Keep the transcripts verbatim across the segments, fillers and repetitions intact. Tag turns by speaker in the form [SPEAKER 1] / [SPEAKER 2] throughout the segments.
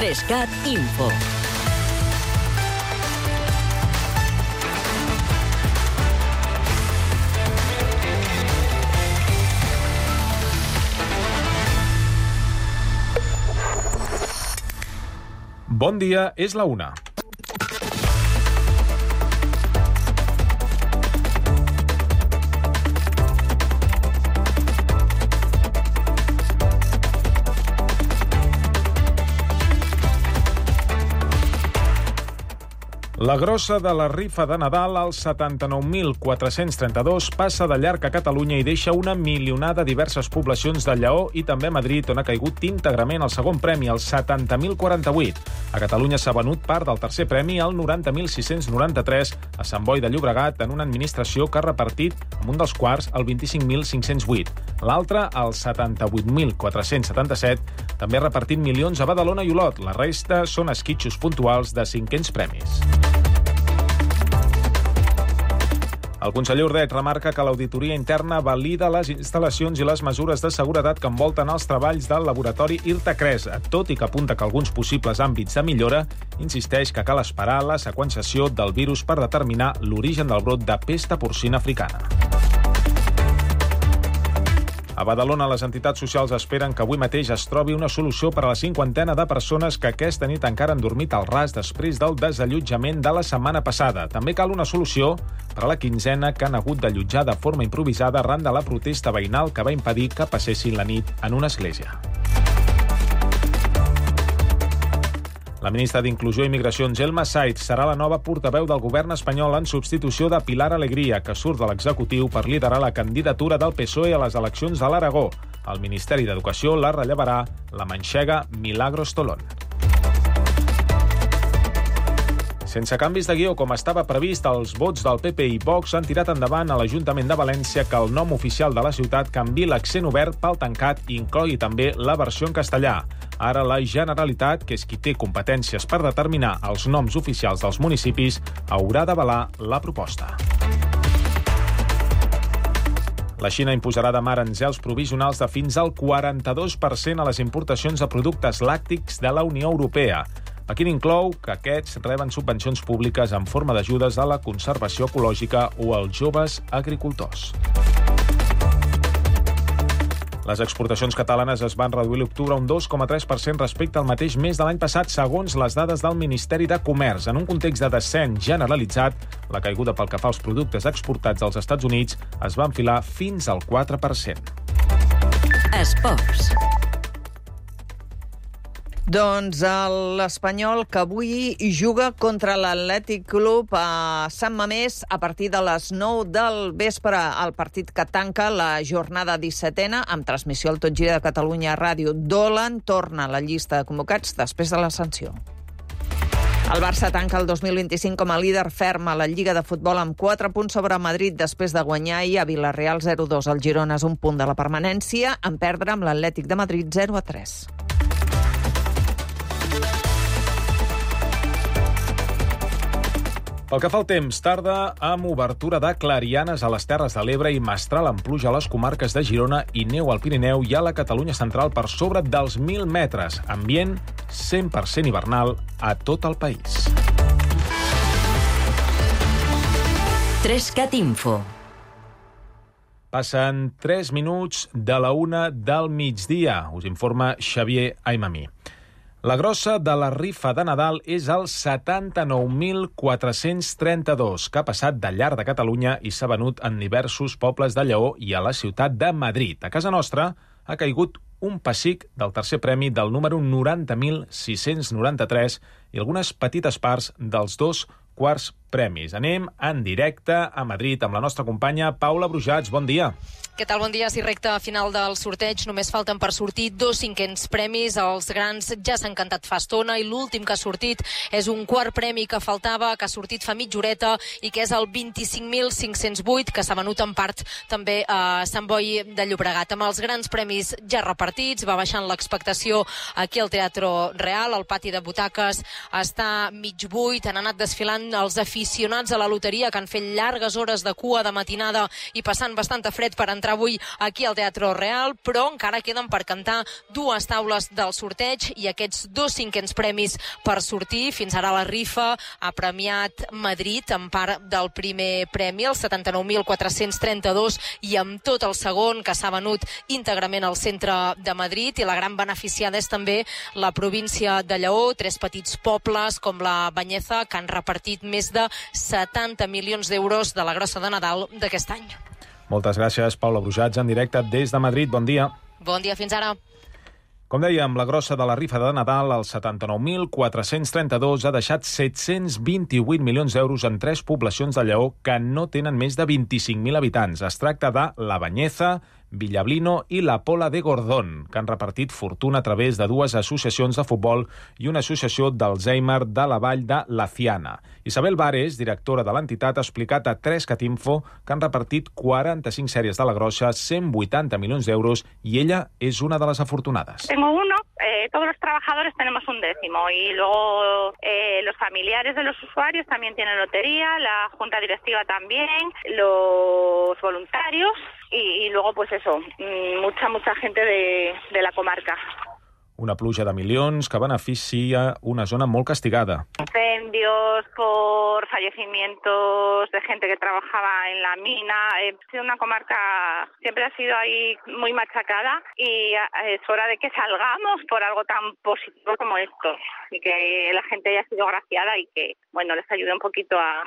[SPEAKER 1] Trescat Info.
[SPEAKER 2] Bon dia, és la una. La grossa de la rifa de Nadal, als setanta-nou mil quatre-cents trenta-dos, passa de llarg a Catalunya i deixa una milionada a diverses poblacions de Lleó i també a Madrid, on ha caigut íntegrament el segon premi, el setanta mil quaranta-vuit. A Catalunya s'ha venut part del tercer premi, el noranta mil sis-cents noranta-tres, a Sant Boi de Llobregat, en una administració que ha repartit, amb un dels quarts, el vint-i-cinc mil cinc-cents vuit. L'altre, el setanta-vuit mil quatre-cents setanta-set, també ha repartit milions a Badalona i Olot. La resta són esquitxos puntuals de cinquens premis. El conseller Ordeig remarca que l'auditoria interna valida les instal·lacions i les mesures de seguretat que envolten els treballs del laboratori IRTA-Cres, tot i que apunta que alguns possibles àmbits de millora, insisteix que cal esperar la seqüenciació del virus per determinar l'origen del brot de pesta porcina africana. A Badalona, les entitats socials esperen que avui mateix es trobi una solució per a la cinquantena de persones que aquesta nit encara han dormit al ras després del desallotjament de la setmana passada. També cal una solució per a la quinzena que han hagut d'allotjar de forma improvisada arran de la protesta veïnal que va impedir que passessin la nit en una església. La ministra d'Inclusió i Migracions, Elma Said, serà la nova portaveu del govern espanyol en substitució de Pilar Alegría, que surt de l'executiu per liderar la candidatura del P S O E a les eleccions de l'Aragó. El Ministeri d'Educació la rellevarà la manxega Milagros Tolón. Sense canvis de guió, com estava previst, els vots del P P i Vox han tirat endavant a l'Ajuntament de València que el nom oficial de la ciutat canviï l'accent obert pel tancat i inclogui també la versió en castellà. Ara la Generalitat, que és qui té competències per determinar els noms oficials dels municipis, haurà d'avalar la proposta. La Xina imposarà demà aranzels provisionals de fins al quaranta-dos per cent a les importacions de productes làctics de la Unió Europea. Pequín inclou que aquests reben subvencions públiques en forma d'ajudes a la conservació ecològica o als joves agricultors. Les exportacions catalanes es van reduir a l'octubre un dos coma tres per cent respecte al mateix mes de l'any passat, segons les dades del Ministeri de Comerç. En un context de descens generalitzat, la caiguda pel que fa als productes exportats als Estats Units es va enfilar fins al quatre per cent.
[SPEAKER 1] Esports.
[SPEAKER 3] Doncs l'Espanyol, que avui juga contra l'Atlètic Club a Sant Mamés a partir de les nou del vespre, el partit que tanca la jornada dissetena, amb transmissió al Tot Gira de Catalunya Ràdio. Dolan torna a la llista de convocats després de la sanció. El Barça tanca el dos mil vint-i-cinc com a líder ferm a la Lliga de Futbol amb quatre punts sobre Madrid després de guanyar ahir a Vilareal zero dos. El Girona és un punt de la permanència, en perdre amb l'Atlètic de Madrid zero a tres.
[SPEAKER 2] Pel que fa al temps, tarda amb obertura de clarianes a les Terres de l'Ebre i mestral amb pluja a les comarques de Girona i neu al Pirineu i a la Catalunya central per sobre dels mil metres. Ambient cent per cent hivernal a tot el país.
[SPEAKER 1] Trescat Info.
[SPEAKER 2] Passen tres minuts de la una del migdia. Us informa Xavier Aimamí. La grossa de la rifa de Nadal és el setanta-nou mil quatre-cents trenta-dos, que ha passat de llarg de Catalunya i s'ha venut en diversos pobles de Lleó i a la ciutat de Madrid. A casa nostra ha caigut un pessic del tercer premi del número noranta mil sis-cents noranta-tres i algunes petites parts dels dos quarts premis. Anem en directe a Madrid amb la nostra companya Paula Brujats. Bon dia.
[SPEAKER 4] Què tal? Bon dia. Si recta final del sorteig, només falten per sortir dos cinquens premis. Els grans ja s'han cantat fa estona i l'últim que ha sortit és un quart premi que faltava, que ha sortit fa mitja horeta i que és el vint-i-cinc mil cinc-cents vuit, que s'ha venut en part també a Sant Boi de Llobregat. Amb els grans premis ja repartits, va baixant l'expectació aquí al Teatre Real, el pati de butaques està mig buit, han anat desfilant els aficionats aficionats a la loteria que han fet llargues hores de cua de matinada i passant bastant fred per entrar avui aquí al Teatre Real, però encara queden per cantar dues taules del sorteig i aquests dos cinquens premis per sortir. Fins ara la rifa ha premiat Madrid en part del primer premi, el setanta-nou mil quatre-cents trenta-dos, i amb tot el segon, que s'ha venut íntegrament al centre de Madrid, i la gran beneficiada és també la província de Lleó, tres petits pobles com la Banyeza, que han repartit més de setanta milions d'euros de la grossa de Nadal d'aquest any.
[SPEAKER 2] Moltes gràcies, Paula Brujats, en directe des de Madrid. Bon dia.
[SPEAKER 4] Bon dia, fins ara.
[SPEAKER 2] Com dèiem, la grossa de la rifa de Nadal, el setanta-nou mil quatre-cents trenta-dos, ha deixat set-cents vint-i-vuit milions d'euros en tres poblacions de Lleó que no tenen més de vint-i-cinc mil habitants. Es tracta de La Banyeza, Villablino i la Pola de Gordón, que han repartit fortuna a través de dues associacions de futbol i una associació d'Alzheimer de la vall de Laciana. Isabel Vares, directora de l'entitat, ha explicat a tres cat info que han repartit quaranta-cinc sèries de la grossa, cent vuitanta milions d'euros, i ella és una de les afortunades.
[SPEAKER 1] Tengo uno, eh, todos los trabajadores tenemos un décimo y luego eh, los familiares de los usuarios también tienen lotería, la junta directiva también, los voluntarios y, y luego pues eso, mucha, mucha gente de, de la comarca.
[SPEAKER 2] Una pluja de milions que beneficia una zona molt castigada.
[SPEAKER 1] Incendios por fallecimientos de gente que trabajaba en la mina. Ha sido una comarca, siempre ha sido ahí muy machacada y es hora de que salgamos por algo tan positivo como esto y que la gente haya sido agraciada y que, bueno, les ayude un poquito a...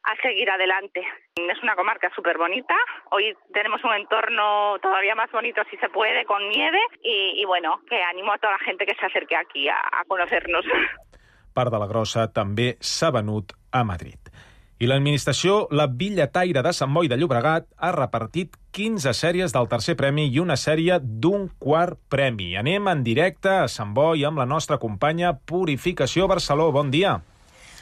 [SPEAKER 1] a seguir adelante. Es una comarca súper bonita. Hoy tenemos un entorno todavía más bonito, si se puede, con nieve. Y, y bueno, que animo a toda la gente que se acerque aquí a, a conocernos.
[SPEAKER 2] Part de la grossa també s'ha venut a Madrid. I l'administració, la Billetaire de Sant Boi de Llobregat, ha repartit quinze sèries del tercer premi i una sèrie d'un quart premi. Anem en directe a Sant Boi amb la nostra companya Purificació Barceló. Bon dia.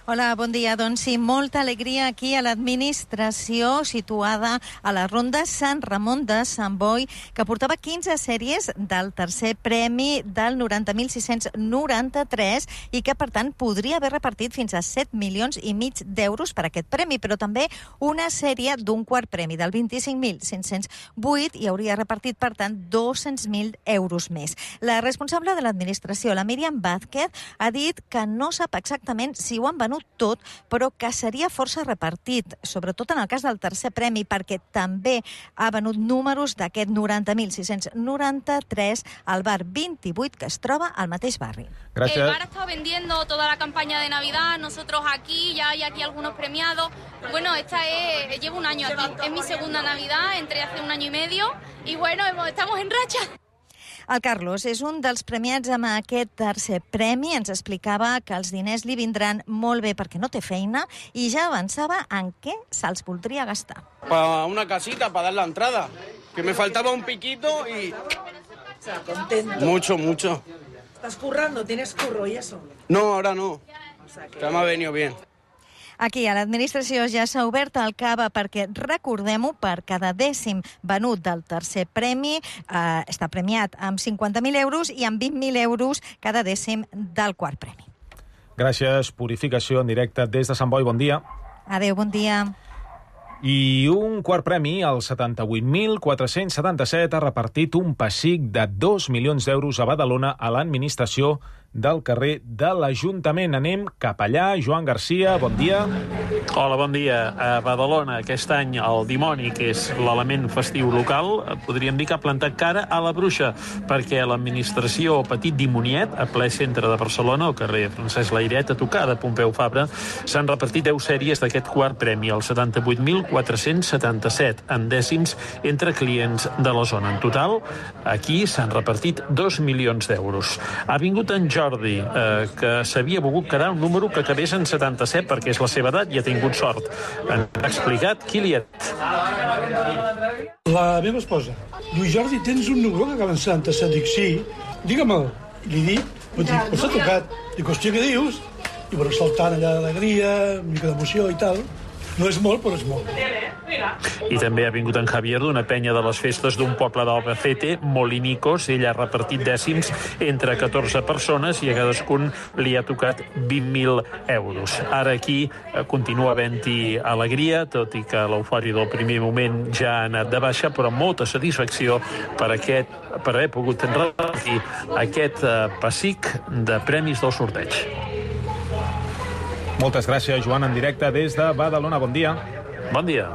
[SPEAKER 5] Hola, bon dia. Doncs sí, molta alegria aquí a l'administració situada a la Ronda Sant Ramon de Sant Boi, que portava quinze sèries del tercer premi del noranta mil sis-cents noranta-tres i que, per tant, podria haver repartit fins a set milions i mig d'euros per aquest premi, però també una sèrie d'un quart premi del vint-i-cinc mil cinc-cents vuit i hauria repartit, per tant, dos-cents mil euros més. La responsable de l'administració, la Míriam Vázquez, ha dit que no sap exactament si ho han venut tot, però que seria força repartit, sobretot en el cas del tercer premi, perquè també ha venut números d'aquest noranta mil sis-cents noranta-tres al bar vint-i-vuit, que es troba al mateix barri.
[SPEAKER 2] Gràcies.
[SPEAKER 6] El bar ha estado vendiendo toda la campaña de Navidad, nosotros aquí, ya hay aquí algunos premiados. Bueno, esta es, llevo un año aquí, es mi segunda Navidad, entré hace un año y medio, y bueno, estamos en racha.
[SPEAKER 5] El Carlos és un dels premiats amb aquest tercer premi. Ens explicava que els diners li vindran molt bé perquè no té feina i ja avançava en què se'ls voldria gastar.
[SPEAKER 7] Para una casita, para dar la entrada. Que me faltaba un piquito y...
[SPEAKER 8] O sea, contento.
[SPEAKER 7] Mucho, mucho.
[SPEAKER 8] ¿Estás currando? ¿Tienes curro y eso?
[SPEAKER 7] No, ahora no.
[SPEAKER 8] O sea que...
[SPEAKER 7] Ya me ha venido bien.
[SPEAKER 5] Aquí a l'administració ja s'ha obert el cava perquè, recordem-ho, per cada dècim venut del tercer premi eh, està premiat amb cinquanta mil euros i amb vint mil euros cada dècim del quart premi.
[SPEAKER 2] Gràcies, Purificació en directe des de Sant Boi. Bon dia.
[SPEAKER 5] Adéu, bon dia.
[SPEAKER 2] I un quart premi, el setanta-vuit mil quatre-cents setanta-set, ha repartit un pessic de dos milions d'euros a Badalona a l'administració del carrer de l'Ajuntament. Anem cap allà. Joan Garcia, bon dia.
[SPEAKER 9] Hola, bon dia. A Badalona, aquest any, el dimoni, que és l'element festiu local, podríem dir que ha plantat cara a la bruixa, perquè l'administració Petit Dimoniet, a ple centre de Barcelona, al carrer Francesc Layret, a tocar de Pompeu Fabra, s'han repartit deu sèries d'aquest quart premi, el setanta-vuit mil quatre-cents setanta-set, en dècims entre clients de la zona. En total, aquí s'han repartit dos milions d'euros. Ha vingut en Jordi, eh, que s'havia volgut quedar un número que acabés en setanta-set perquè és la seva edat i ha tingut sort. Ens ha explicat qui li ha...
[SPEAKER 10] La meva esposa diu, Jordi, tens un número que acaba en setanta-set? Dic, sí, digue-me'l. I li dic, però dic, però s'ha tocat. Dic, hòstia, què dius? I bueno, saltant allà d'alegria, una mica d'emoció i tal. No és molt, però és molt.
[SPEAKER 9] I també ha vingut en Javier d'una penya de les festes d'un poble d'Albacete, Molinicos. Ell ha repartit dècims entre catorze persones i a cadascun li ha tocat vint mil euros. Ara aquí continua havent-hi alegria, tot i que l'eufòria del primer moment ja ha anat de baixa, però molta satisfacció per, aquest, per haver pogut repartir aquest eh, pessic de premis del sorteig.
[SPEAKER 2] Moltes gràcies, Joan, en directe des de Badalona. Bon dia.
[SPEAKER 9] Bon dia.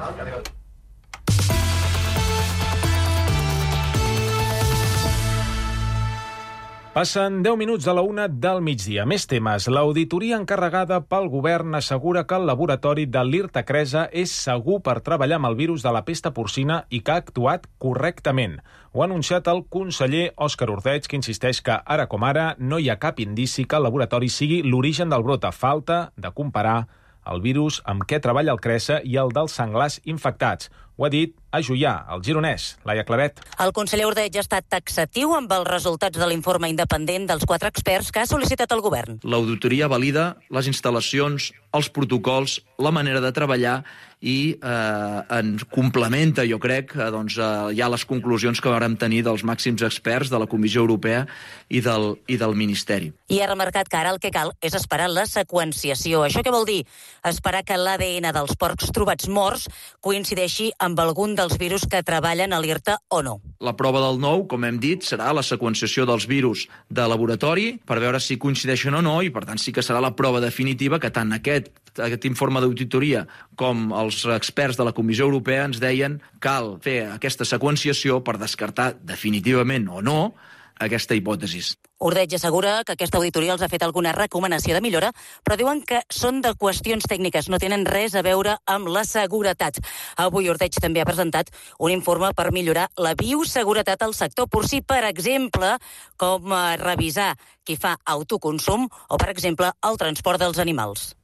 [SPEAKER 2] Passen deu minuts de la una del migdia. Més temes. L'auditoria encarregada pel govern assegura que el laboratori de l'IRTA Cresa és segur per treballar amb el virus de la pesta porcina i que ha actuat correctament. Ho ha anunciat el conseller Òscar Ordeig, que insisteix que, ara com ara, no hi ha cap indici que el laboratori sigui l'origen del brot. A falta de comparar el virus amb què treballa el Cresa i el dels senglars infectats. Ho ha dit a Juià, el gironès, Laia Claret.
[SPEAKER 11] El conseller Ordeig ha estat taxatiu amb els resultats de l'informe independent dels quatre experts que ha sol·licitat el govern.
[SPEAKER 12] L'auditoria valida les instal·lacions, els protocols, la manera de treballar i eh, en complementa, jo crec, eh, doncs, eh, ja les conclusions que vàrem tenir dels màxims experts de la Comissió Europea i del, i del Ministeri.
[SPEAKER 11] I ha remarcat que ara el que cal és esperar la seqüenciació. Això què vol dir? Esperar que l'A D N dels porcs trobats morts coincideixi amb algun dels virus que treballen a l'IRTA o no.
[SPEAKER 12] La prova del nou, com hem dit, serà la seqüenciació dels virus de laboratori per veure si coincideixen o no i, per tant, sí que serà la prova definitiva que tant aquest, aquest informe d'auditoria com els experts de la Comissió Europea ens deien cal fer aquesta seqüenciació per descartar definitivament o no aquesta hipòtesi.
[SPEAKER 11] Ordeig assegura que aquesta auditoria els ha fet alguna recomanació de millora, però diuen que són de qüestions tècniques, no tenen res a veure amb la seguretat. Avui Ordeig també ha presentat un informe per millorar la bioseguretat al sector porcí, per exemple, com revisar qui fa autoconsum o, per exemple, el transport dels animals.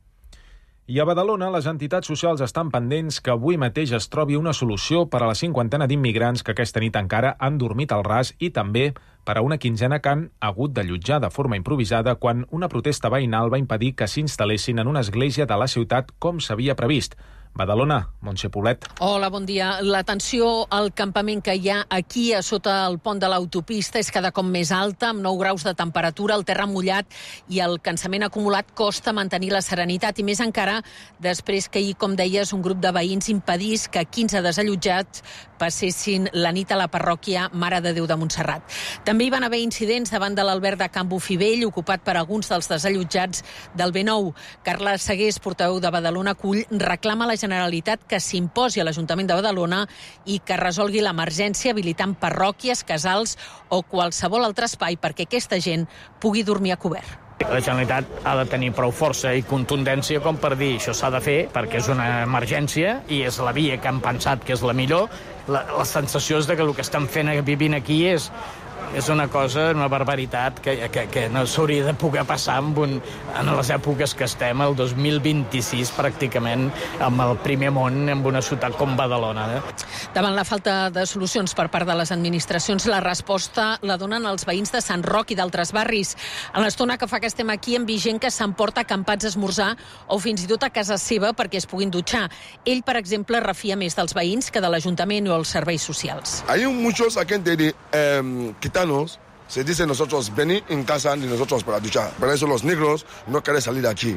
[SPEAKER 2] I a Badalona, les entitats socials estan pendents que avui mateix es trobi una solució per a la cinquantena d'immigrants que aquesta nit encara han dormit al ras i també per a una quinzena que han hagut d'allotjar de forma improvisada quan una protesta veïnal va impedir que s'instal·lessin en una església de la ciutat com s'havia previst. Badalona, Montse Poblet.
[SPEAKER 13] Hola, bon dia. La tensió al campament que hi ha aquí a sota el pont de l'autopista és cada cop més alta, amb nou graus de temperatura, el terra mullat i el cansament acumulat costa mantenir la serenitat, i més encara després que ahir, com deies, un grup de veïns impedís que quinze desallotjats passessin la nit a la parròquia Mare de Déu de Montserrat. També hi van haver incidents davant de l'alberg de Can Bofivell, ocupat per alguns dels desallotjats del B nou. Carla Segués, portaveu de Badalona Cull, reclama a la Generalitat que s'imposi a l'Ajuntament de Badalona i que resolgui l'emergència habilitant parròquies, casals o qualsevol altre espai perquè aquesta gent pugui dormir a cobert.
[SPEAKER 14] La Generalitat ha de tenir prou força i contundència com per dir això s'ha de fer perquè és una emergència i és la via que han pensat que és la millor. La, la sensació és de que el que estan fent vivint aquí és és una cosa, una barbaritat que, que, que no s'hauria de poder passar en, un, en les èpoques que estem, el dos mil vint-i-sis pràcticament, amb el primer món, en una ciutat com Badalona. Eh?
[SPEAKER 13] Davant la falta de solucions per part de les administracions, la resposta la donen els veïns de Sant Roc i d'altres barris. A l'estona que fa que estem aquí hem vist gent que s'emporta acampats a esmorzar o fins i tot a casa seva perquè es puguin dutxar. Ell, per exemple, refia més dels veïns que de l'Ajuntament o els serveis socials.
[SPEAKER 15] Hay muchos aquí de eh, gitanos, se dice nosotros venir en casa ni nosotros para duchar. Por eso los negros no quieren salir de aquí.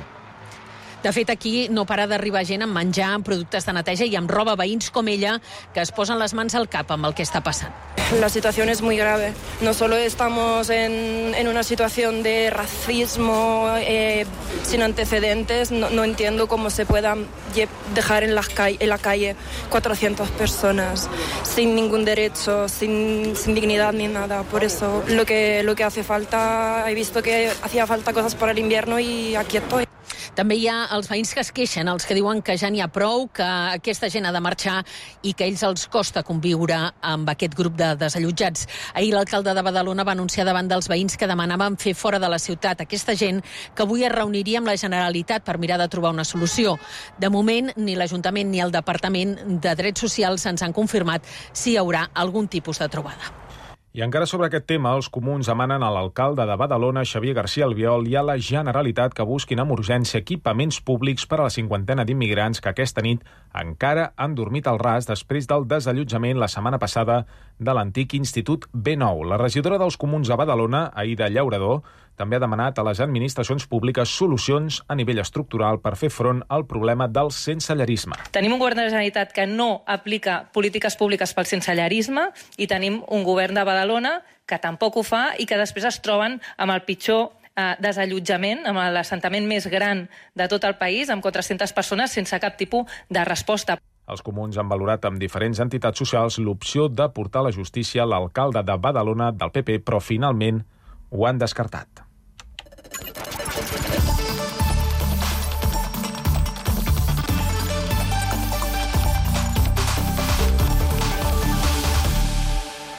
[SPEAKER 13] De fet, aquí no para d'arribar gent amb menjar, amb productes de neteja i amb roba, veïns com ella, que es posen les mans al cap amb el que està passant.
[SPEAKER 16] La situación es muy grave. No solo estamos en, en una situación de racismo eh, sin antecedentes, no, no entiendo cómo se puedan dejar en, las ca- en la calle cuatrocientas personas sin ningún derecho, sin, sin dignidad ni nada. Por eso lo que, lo que hace falta, he visto que hacía falta cosas para el invierno y aquí estoy.
[SPEAKER 13] També hi ha els veïns que es queixen, els que diuen que ja n'hi ha prou, que aquesta gent ha de marxar i que a ells els costa conviure amb aquest grup de desallotjats. Ahir l'alcalde de Badalona va anunciar davant dels veïns que demanaven fer fora de la ciutat aquesta gent, que avui es reuniria amb la Generalitat per mirar de trobar una solució. De moment, ni l'Ajuntament ni el Departament de Drets Socials ens han confirmat si hi haurà algun tipus de trobada.
[SPEAKER 2] I encara sobre aquest tema, els comuns demanen a l'alcalde de Badalona, Xavier García Albiol, i a la Generalitat que busquin amb urgència equipaments públics per a la cinquantena d'immigrants que aquesta nit encara han dormit al ras després del desallotjament la setmana passada de l'antic Institut B nou. La regidora dels comuns de Badalona, Aïda Llaurador, també ha demanat a les administracions públiques solucions a nivell estructural per fer front al problema del sensellarisme.
[SPEAKER 17] Tenim un govern de la Generalitat que no aplica polítiques públiques pel sensellarisme i tenim un govern de Badalona que tampoc ho fa i que després es troben amb el pitjor eh, desallotjament, amb l'assentament més gran de tot el país, amb quatre-centes persones sense cap tipus de resposta.
[SPEAKER 2] Els comuns han valorat amb diferents entitats socials l'opció de portar a la justícia l'alcalde de Badalona del P P, però finalment ho han descartat.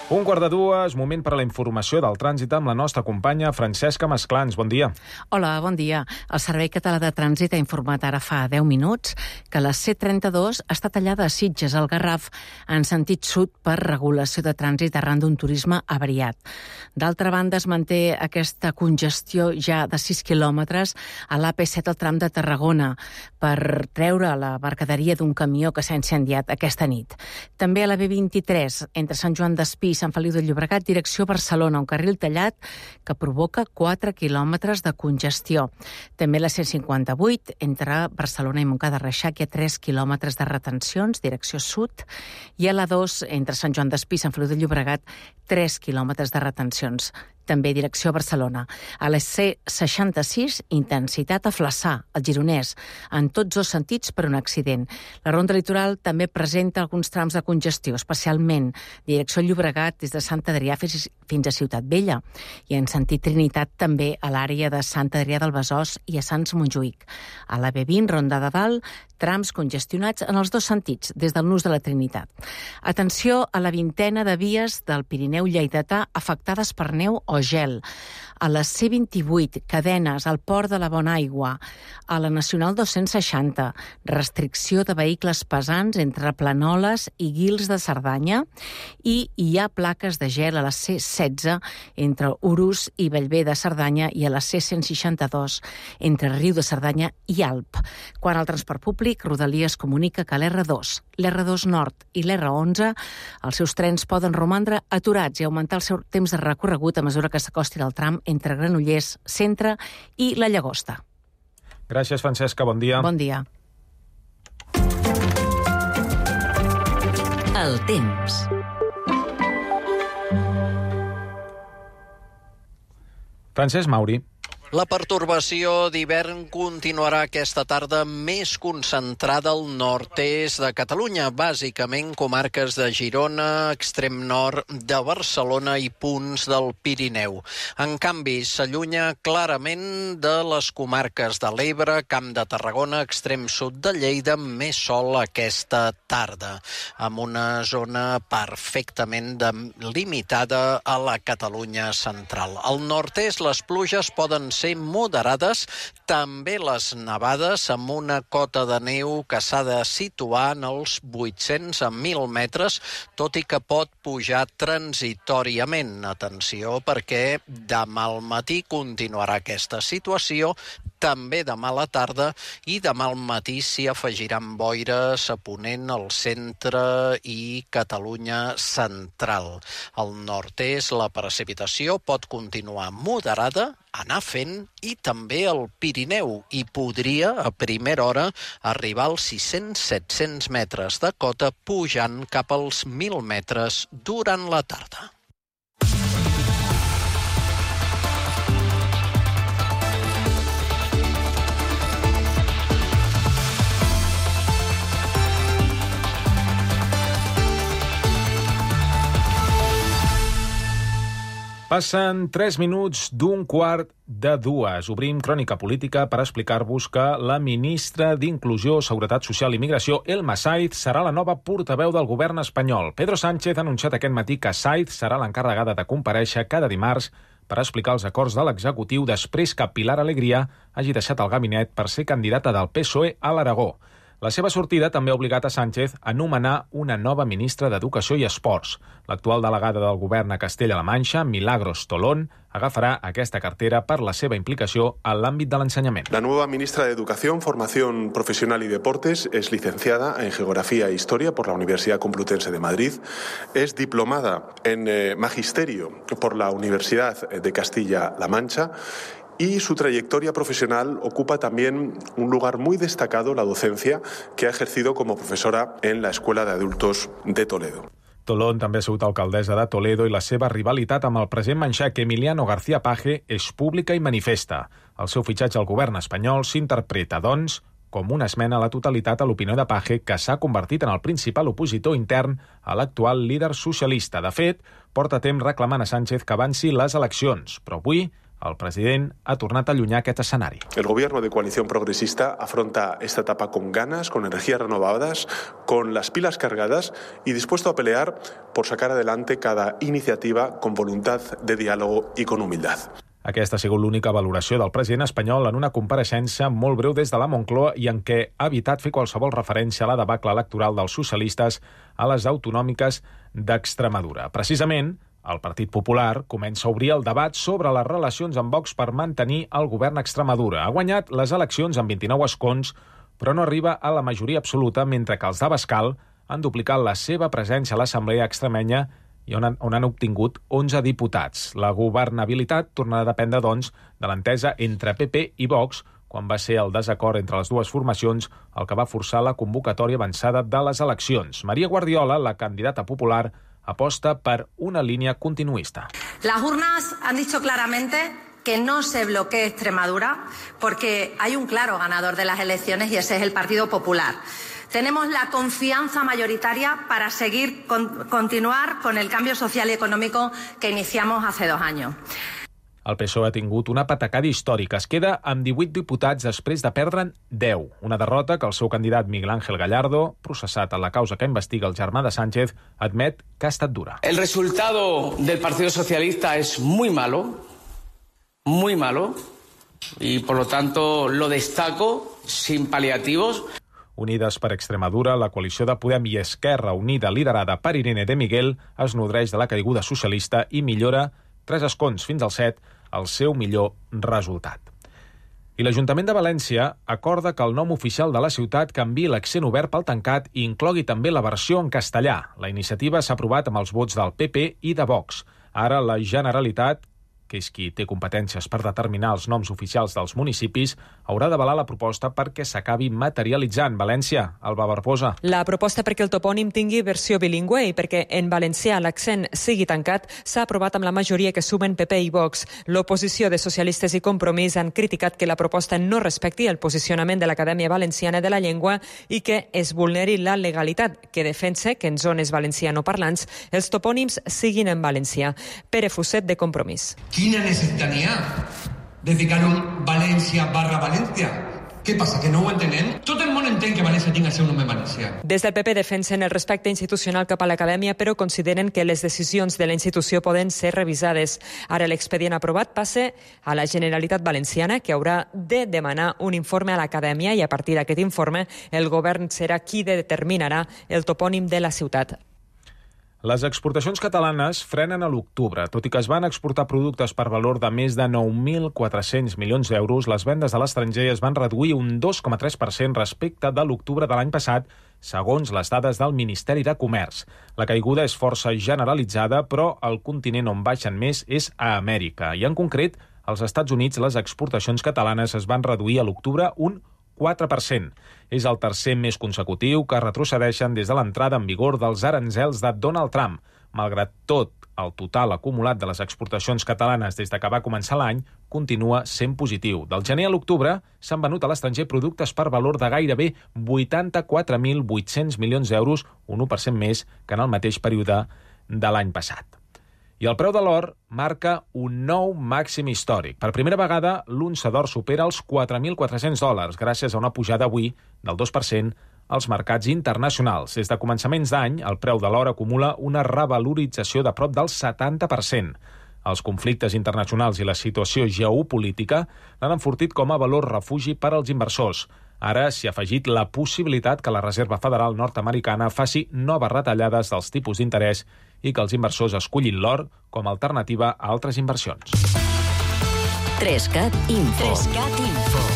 [SPEAKER 2] Un quart de dues, moment per a la informació del trànsit amb la nostra companya Francesca Masclans. Bon dia.
[SPEAKER 18] Hola, bon dia. El Servei Català de Trànsit ha informat ara fa deu minuts que la C trenta-dos està tallada a Sitges, al Garraf, en sentit sud per regulació de trànsit arran d'un turisme avariat. D'altra banda, es manté aquesta congestió ja de sis quilòmetres a l'A P set al tram de Tarragona per treure la mercaderia d'un camió que s'ha incendiat aquesta nit. També a la B vint-i-tres, entre Sant Joan d'Espí i Sant Feliu de Llobregat, direcció Barcelona, un carril tallat que provoca quatre quilòmetres de congestió. També la C cinquanta-vuit, entre Barcelona i Montcada de Reixac, hi ha tres quilòmetres de retencions, direcció sud, i a la dos, entre Sant Joan d'Espí i Sant Feliu de Llobregat, tres quilòmetres de retencions. També direcció Barcelona. A la C seixanta-sis, intensitat a Flaçà, al Gironès, en tots dos sentits per un accident. La ronda litoral també presenta alguns trams de congestió, especialment direcció Llobregat des de Sant Adrià fins a Ciutat Vella i en sentit Trinitat també a l'àrea de Sant Adrià del Besòs i a Sants Montjuïc. A la B vint, ronda de dalt, trams congestionats en els dos sentits, des del nus de la Trinitat. Atenció a la vintena de vies del Pirineu lleidatà afectades per neu o gel. A la C vint-i-vuit, cadenes al Port de la Bonaigua. A la Nacional dos-cents seixanta, restricció de vehicles pesants entre Planoles i Guils de Cerdanya, i hi ha plaques de gel a la C setze entre Urús i Bellver de Cerdanya i a la C cent seixanta-dos entre Riu de Cerdanya i Alp. Quant al transport públic, Rodalies comunica que l'R dos, l'R dos Nord i l'R onze, els seus trens poden romandre aturats i augmentar el seu temps de recorregut a mesura que s'acosti al tram entre Granollers, Centre i la Llagosta.
[SPEAKER 2] Gràcies, Francesca. Bon dia.
[SPEAKER 18] Bon dia.
[SPEAKER 11] El temps.
[SPEAKER 2] Francesc Mauri.
[SPEAKER 19] La pertorbació d'hivern continuarà aquesta tarda més concentrada al nord-est de Catalunya, bàsicament comarques de Girona, extrem nord de Barcelona i punts del Pirineu. En canvi, s'allunya clarament de les comarques de l'Ebre, Camp de Tarragona, extrem sud de Lleida, més sol aquesta tarda, amb una zona perfectament limitada a la Catalunya central. Al nord-est, les pluges poden ser moderades, també les nevades amb una cota de neu que s'ha de situar en els vuit-cents a mil metres, tot i que pot pujar transitoriament. Atenció, perquè demà al matí continuarà aquesta situació, també demà a la tarda, i demà al matí s'hi afegiran boires a Ponent, al centre i Catalunya central. Al nord-est la precipitació pot continuar moderada, anar fent, i també al Pirineu, i podria a primera hora arribar als sis-cents a set-cents metres de cota, pujant cap als mil metres durant la tarda.
[SPEAKER 2] Passen tres minuts d'un quart de dues. Obrim Crònica Política per explicar-vos que la ministra d'Inclusió, Seguretat Social i Migració, Elma Saiz, serà la nova portaveu del govern espanyol. Pedro Sánchez ha anunciat aquest matí que Saiz serà l'encarregada de comparèixer cada dimarts per explicar els acords de l'executiu després que Pilar Alegría hagi deixat el gabinet per ser candidata del P S O E a l'Aragó. La seva sortida també ha obligat a Sánchez a nomenar una nova ministra d'Educació i Esports. L'actual delegada del govern a Castella-La Manxa, Milagros Tolón, agafarà aquesta cartera per la seva implicació en l'àmbit de l'ensenyament.
[SPEAKER 20] La nueva ministra de Educación, Formación Profesional y Deportes es licenciada en Geografía e Historia por la Universidad Complutense de Madrid, es diplomada en eh, Magisterio por la Universidad de Castilla-La Mancha y su trayectoria profesional ocupa también un lugar muy destacado, la docencia, que ha ejercido como profesora en la Escuela de Adultos de Toledo.
[SPEAKER 2] Tolón també ha sigut alcaldessa de Toledo i la seva rivalitat amb el president manxec Emiliano García Paje és pública i manifesta. El seu fitxatge al govern espanyol s'interpreta, doncs, com una esmena a la totalitat a l'opinió de Paje, que s'ha convertit en el principal opositor intern a l'actual líder socialista. De fet, porta temps reclamant a Sánchez que avanci les eleccions, però avui el president ha tornat a allunyar aquest escenari.
[SPEAKER 20] El gobierno de coalición progresista afronta esta etapa con ganas, con energías renovadas, con las pilas cargadas y dispuesto a pelear por sacar adelante cada iniciativa con voluntad de diálogo y con humildad.
[SPEAKER 2] Aquesta ha sigut l'única valoració del president espanyol en una compareixença molt breu des de la Moncloa i en què ha evitat fer qualsevol referència a la debacle electoral dels socialistes a les autonòmiques d'Extremadura. Precisament, el Partit Popular comença a obrir el debat sobre les relacions amb Vox per mantenir el govern a Extremadura. Ha guanyat les eleccions amb vint-i-nou escons, però no arriba a la majoria absoluta, mentre que els d'Abascal han duplicat la seva presència a l'Assemblea extremenya i on han, on han obtingut onze diputats. La governabilitat tornarà a dependre, doncs, de l'entesa entre P P i Vox, quan va ser el desacord entre les dues formacions el que va forçar la convocatòria avançada de les eleccions. Maria Guardiola, la candidata popular, aposta per una línea continuista.
[SPEAKER 21] Las urnas han dicho claramente que no se bloquee Extremadura porque hay un claro ganador de las elecciones y ese es el Partido Popular. Tenemos la confianza mayoritaria para seguir con, continuar con el cambio social y económico que iniciamos hace dos años.
[SPEAKER 2] El P S O E ha tingut una patacada històrica. Es queda amb divuit diputats després de perdre'n deu. Una derrota que el seu candidat Miguel Ángel Gallardo, processat en la causa que investiga el germà de Sánchez, admet que ha estat dura.
[SPEAKER 22] El resultado del Partido Socialista es muy malo, muy malo, y por lo tanto lo destaco sin paliativos.
[SPEAKER 2] Unides per Extremadura, la coalició de Podem i Esquerra Unida, liderada per Irene de Miguel, es nodreix de la caiguda socialista i millora tres escons fins al set, el seu millor resultat. I l'Ajuntament de València acorda que el nom oficial de la ciutat canviï l'accent obert pel tancat i inclogui també la versió en castellà. La iniciativa s'ha aprovat amb els vots del P P i de Vox. Ara la Generalitat, que és qui té competències per determinar els noms oficials dels municipis, haurà d'avalar la proposta perquè s'acabi materialitzant. València, Alba Barbosa.
[SPEAKER 23] La proposta perquè el topònim tingui versió bilingüe i perquè en valencià l'accent sigui tancat s'ha aprovat amb la majoria que sumen P P i Vox. L'oposició de Socialistes i Compromís han criticat que la proposta no respecti el posicionament de l'Acadèmia Valenciana de la Llengua i que es vulneri la legalitat, que defensa que en zones valencianoparlants els topònims siguin en valencià. Pere Fuset, de Compromís.
[SPEAKER 24] Quina necessitat n'hi ha de ficar un València barra València? Què passa, que no ho entenem? Tot el món entén que València tingui el seu nom en valencià.
[SPEAKER 23] Des del P P defensen el respecte institucional cap a l'Acadèmia, però consideren que les decisions de la institució poden ser revisades. Ara l'expedient aprovat passa a la Generalitat Valenciana, que haurà de demanar un informe a l'Acadèmia i a partir d'aquest informe el govern serà qui determinarà el topònim de la ciutat.
[SPEAKER 2] Les exportacions catalanes frenen a l'octubre. Tot i que es van exportar productes per valor de més de nou mil quatre-cents milions d'euros, les vendes a l'estranger es van reduir un dos coma tres per cent respecte de l'octubre de l'any passat, segons les dades del Ministeri de Comerç. La caiguda és força generalitzada, però el continent on baixen més és a Amèrica. I en concret, als Estats Units, les exportacions catalanes es van reduir a l'octubre un quatre per cent. És el tercer mes consecutiu que retrocedeixen des de l'entrada en vigor dels aranzels de Donald Trump. Malgrat tot, el total acumulat de les exportacions catalanes des de que va començar l'any continua sent positiu. Del gener a l'octubre s'han venut a l'estranger productes per valor de gairebé vuitanta-quatre mil vuit-cents milions d'euros, un u per cent més que en el mateix període de l'any passat. I el preu de l'or marca un nou màxim històric. Per primera vegada, l'unça d'or supera els quatre mil quatre-cents dòlars, gràcies a una pujada avui del dos per cent als mercats internacionals. Des de començaments d'any, el preu de l'or acumula una revalorització de prop del setanta per cent. Els conflictes internacionals i la situació geopolítica l'han enfortit com a valor refugi per als inversors. Ara s'hi ha afegit la possibilitat que la Reserva Federal nord-americana faci noves retallades dels tipus d'interès i que els inversors escollin l'or com a alternativa a altres inversions.
[SPEAKER 11] Trescat Info. Trescat Info.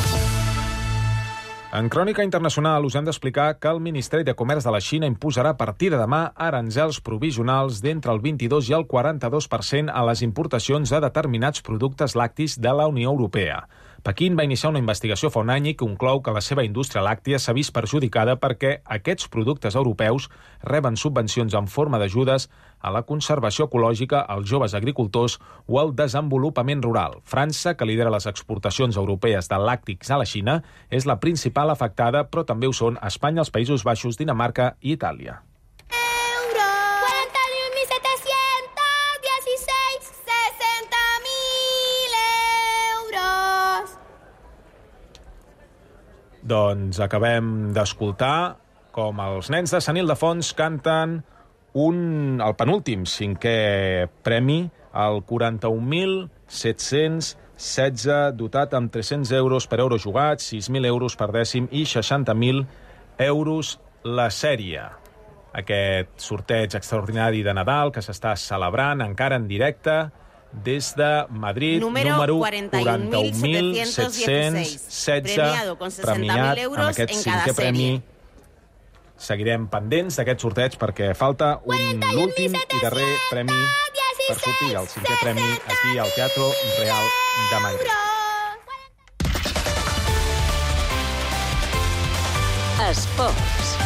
[SPEAKER 2] En crònica internacional us hem d'explicar que el Ministeri de Comerç de la Xina imposarà a partir de demà aranzels provisionals d'entre el vint-i-dos i el quaranta-dos per cent a les importacions de determinats productes lactis de la Unió Europea. Pequín va iniciar una investigació fa un any i conclou que la seva indústria làctia s'ha vist perjudicada perquè aquests productes europeus reben subvencions en forma d'ajudes a la conservació ecològica, als joves agricultors o al desenvolupament rural. França, que lidera les exportacions europees de làctics a la Xina, és la principal afectada, però també ho són Espanya, els Països Baixos, Dinamarca i Itàlia. Doncs acabem d'escoltar com els nens de Sant Ildefons canten un, el penúltim cinquè premi, el quaranta-un mil set-cents setze, dotat amb tres-cents euros per euro jugat, sis mil euros per dècim i seixanta mil euros la sèrie. Aquest sorteig extraordinari de Nadal que s'està celebrant encara en directe des de Madrid, número, número quaranta i un mil set-cents setze, premiat amb aquest cinquè premi. Seguirem pendents d'aquest sorteig perquè falta un l'últim i darrer premi per sortir el cinquè premi aquí al Teatro Real de Madrid.
[SPEAKER 11] Esports.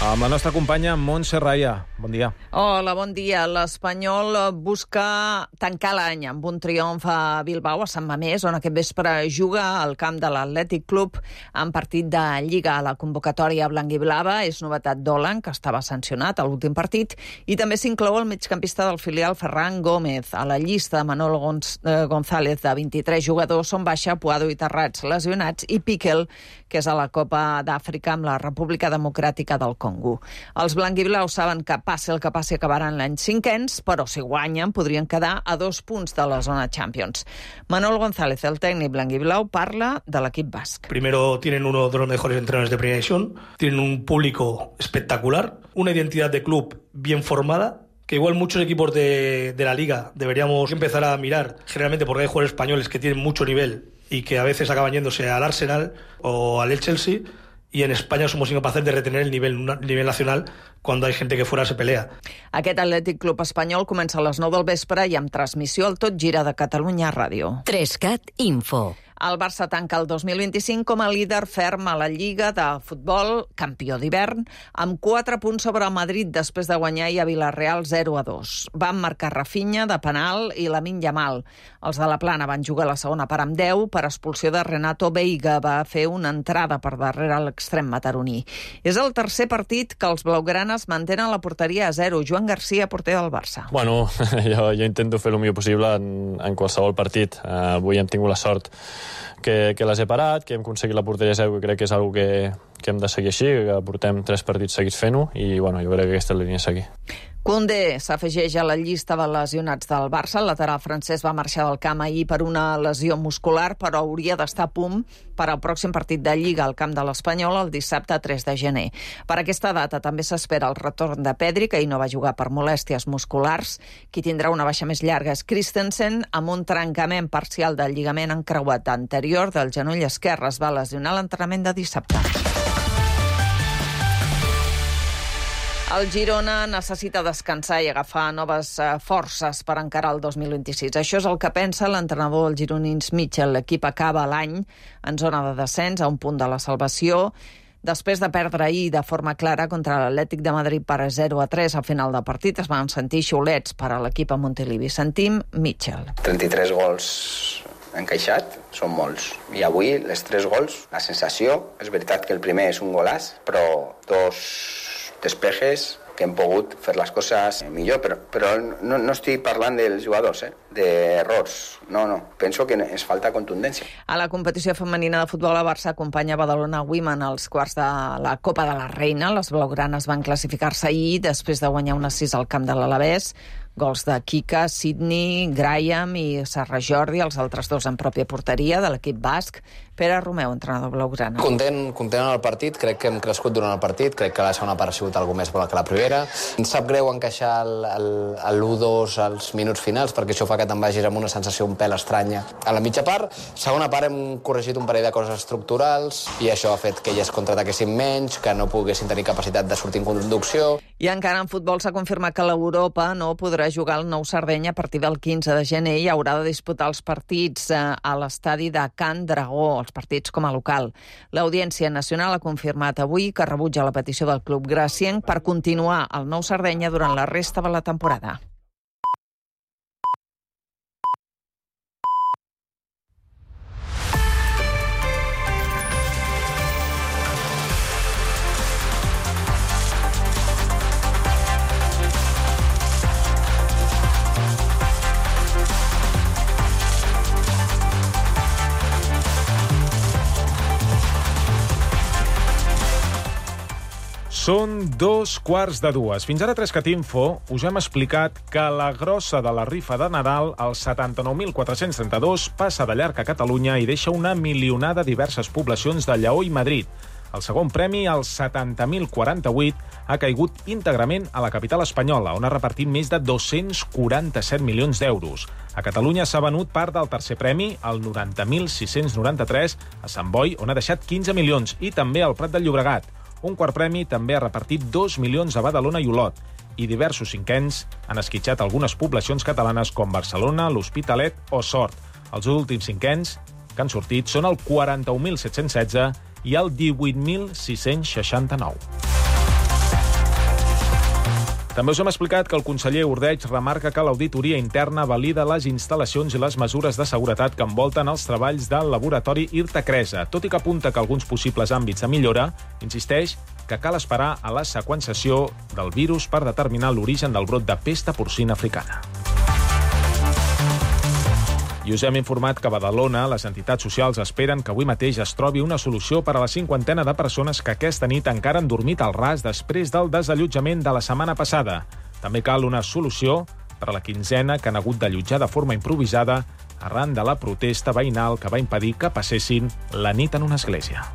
[SPEAKER 2] Amb la nostra companya Montse Raya. Bon dia.
[SPEAKER 1] Hola, bon dia. L'Espanyol busca tancar l'any amb un triomf a Bilbao, a Sant Mamés, on aquest vespre juga al camp de l'Atlètic Club en partit de Lliga. La convocatòria blanc-i-blava és novetat d'Olan, que estava sancionat a l'últim partit, i també s'inclou el migcampista del filial Ferran Gómez. A la llista de Manolo González, de vint-i-tres jugadors, són baixa Puado i Terrats lesionats, i Piquel, que és a la Copa d'Àfrica amb la República Democràtica del Congo. Els blanc-i-blaus saben que passi el que passi acabaran l'any cinquens, però si guanyen podrien quedar a dos punts de la zona Champions. Manolo González, el tècnic blanc-i-blau, parla de l'equip basc.
[SPEAKER 10] Primero tienen uno de los mejores entrenadores de primera división, tienen un público espectacular, una identidad de club bien formada, que igual muchos equipos de, de la Liga deberíamos empezar a mirar, generalmente porque hay jugadores españoles que tienen mucho nivel y que a veces acaban yéndose al Arsenal o al Chelsea, y en España somos incapaces de retener el nivel, el nivel nacional cuando hay gente que fuera se pelea.
[SPEAKER 1] Aquest Atlètic Club espanyol comença a les nou del vespre i amb transmissió al Tot Gira de Catalunya Ràdio.
[SPEAKER 11] Trescat Info.
[SPEAKER 1] El Barça tanca el dos mil vint-i-cinc com a líder ferm a la Lliga de Futbol, campió d'hivern, amb quatre punts sobre el Madrid després de guanyar i a Vilareal zero a dos. Van marcar Rafinha de penal i Lamine Yamal. Els de la Plana van jugar la segona part amb deu per expulsió de Renato Veiga. Va fer una entrada per darrere l'extrem mataroní. És el tercer partit que els blaugranes mantenen la porteria a zero. Joan Garcia, porter del Barça.
[SPEAKER 3] Bueno, jo, jo intento fer el millor possible en, en qualsevol partit. Uh, avui hem tingut la sort que, que les he parat, que hem aconseguit la porteria a zero, que crec que és una que, que hem de seguir així, que portem tres partits seguits fent-ho, i bueno, jo crec que aquesta és la línia a seguir.
[SPEAKER 1] Koundé s'afegeix a la llista de lesionats del Barça. El lateral francès va marxar del camp ahir per una lesió muscular, però hauria d'estar a punt per al pròxim partit de Lliga al camp de l'Espanyol el dissabte tres de gener. Per aquesta data també s'espera el retorn de Pedri, que ahir no va jugar per molèsties musculars. Qui tindrà una baixa més llarga és Christensen, amb un trencament parcial del lligament encreuat anterior del genoll esquerre. Es va lesionar l'entrenament de dissabte. El Girona necessita descansar i agafar noves forces per encarar el dos mil vint-i-sis. Això és el que pensa l'entrenador del gironins Mitchell. L'equip acaba l'any en zona de descens, a un punt de la salvació, després de perdre ahir de forma clara contra l'Atlètic de Madrid per zero a tres al final del partit. Es van sentir xiulets per a l'equip a Montilivi. Sentim Mitchell.
[SPEAKER 4] trenta-tres gols encaixat, són molts. I avui, les tres gols, la sensació, és veritat que el primer és un golàs, però dos despejes que hem pogut fer les coses millor, però, però no, no estic parlant dels jugadors, eh? d'errors. No, no. Penso que ens falta contundència.
[SPEAKER 1] A la competició femenina de futbol, a Barça acompanya Badalona Women als quarts de la Copa de la Reina. Les blaugranes van classificar-se ahir després de guanyar una sis al camp de l'Alavés. Gols de Kika, Sidney, Graham i Serra Jordi, els altres dos en pròpia porteria de l'equip basc. Pere Romeu, entrenador blaugrana.
[SPEAKER 5] Content, content en el partit, crec que hem crescut durant el partit, crec que la segona part ha sigut alguna més bona que la primera. Ens sap greu encaixar l'u dos als minuts finals, perquè això fa que te'n vagis amb una sensació un pèl estranya. A la mitja part, segona part hem corregit un parell de coses estructurals i això ha fet que ells contraataquessin menys, que no poguessin tenir capacitat de sortir en conducció.
[SPEAKER 1] I encara en futbol s'ha confirmat que l'Europa no podrà jugar al Nou Sardenya a partir del quinze de gener i haurà de disputar els partits a l'estadi de Can Dragó, els partits com a local. L'Audiència Nacional ha confirmat avui que rebutja la petició del club gracienc per continuar al Nou Sardenya durant la resta de la temporada.
[SPEAKER 2] Són dos quarts de dues. Fins ara a Trescatinfo us hem explicat que la grossa de la rifa de Nadal, el setanta-nou mil quatre-cents trenta-dos, passa de llarg a Catalunya i deixa una milionada a diverses poblacions de Lleó i Madrid. El segon premi, el setanta mil quaranta-vuit, ha caigut íntegrament a la capital espanyola, on ha repartit més de dos-cents quaranta-set milions d'euros. A Catalunya s'ha venut part del tercer premi, el noranta mil sis-cents noranta-tres, a Sant Boi, on ha deixat quinze milions, i també al Prat del Llobregat. Un quart premi també ha repartit dos milions a Badalona i Olot, i diversos cinquens han esquitxat algunes poblacions catalanes com Barcelona, l'Hospitalet o Sort. Els últims cinquens que han sortit són el quaranta-un mil set-cents setze i el divuit mil sis-cents seixanta-nou. També us hem explicat que el conseller Ordeig remarca que l'auditoria interna valida les instal·lacions i les mesures de seguretat que envolten els treballs del laboratori Irta Cresa. Tot i que apunta que alguns possibles àmbits de millora, insisteix que cal esperar a la seqüenciació del virus per determinar l'origen del brot de pesta porcina africana. I us hem informat que a Badalona les entitats socials esperen que avui mateix es trobi una solució per a la cinquantena de persones que aquesta nit encara han dormit al ras després del desallotjament de la setmana passada. També cal una solució per a la quinzena que han hagut d'allotjar de forma improvisada arran de la protesta veïnal que va impedir que passessin la nit en una església.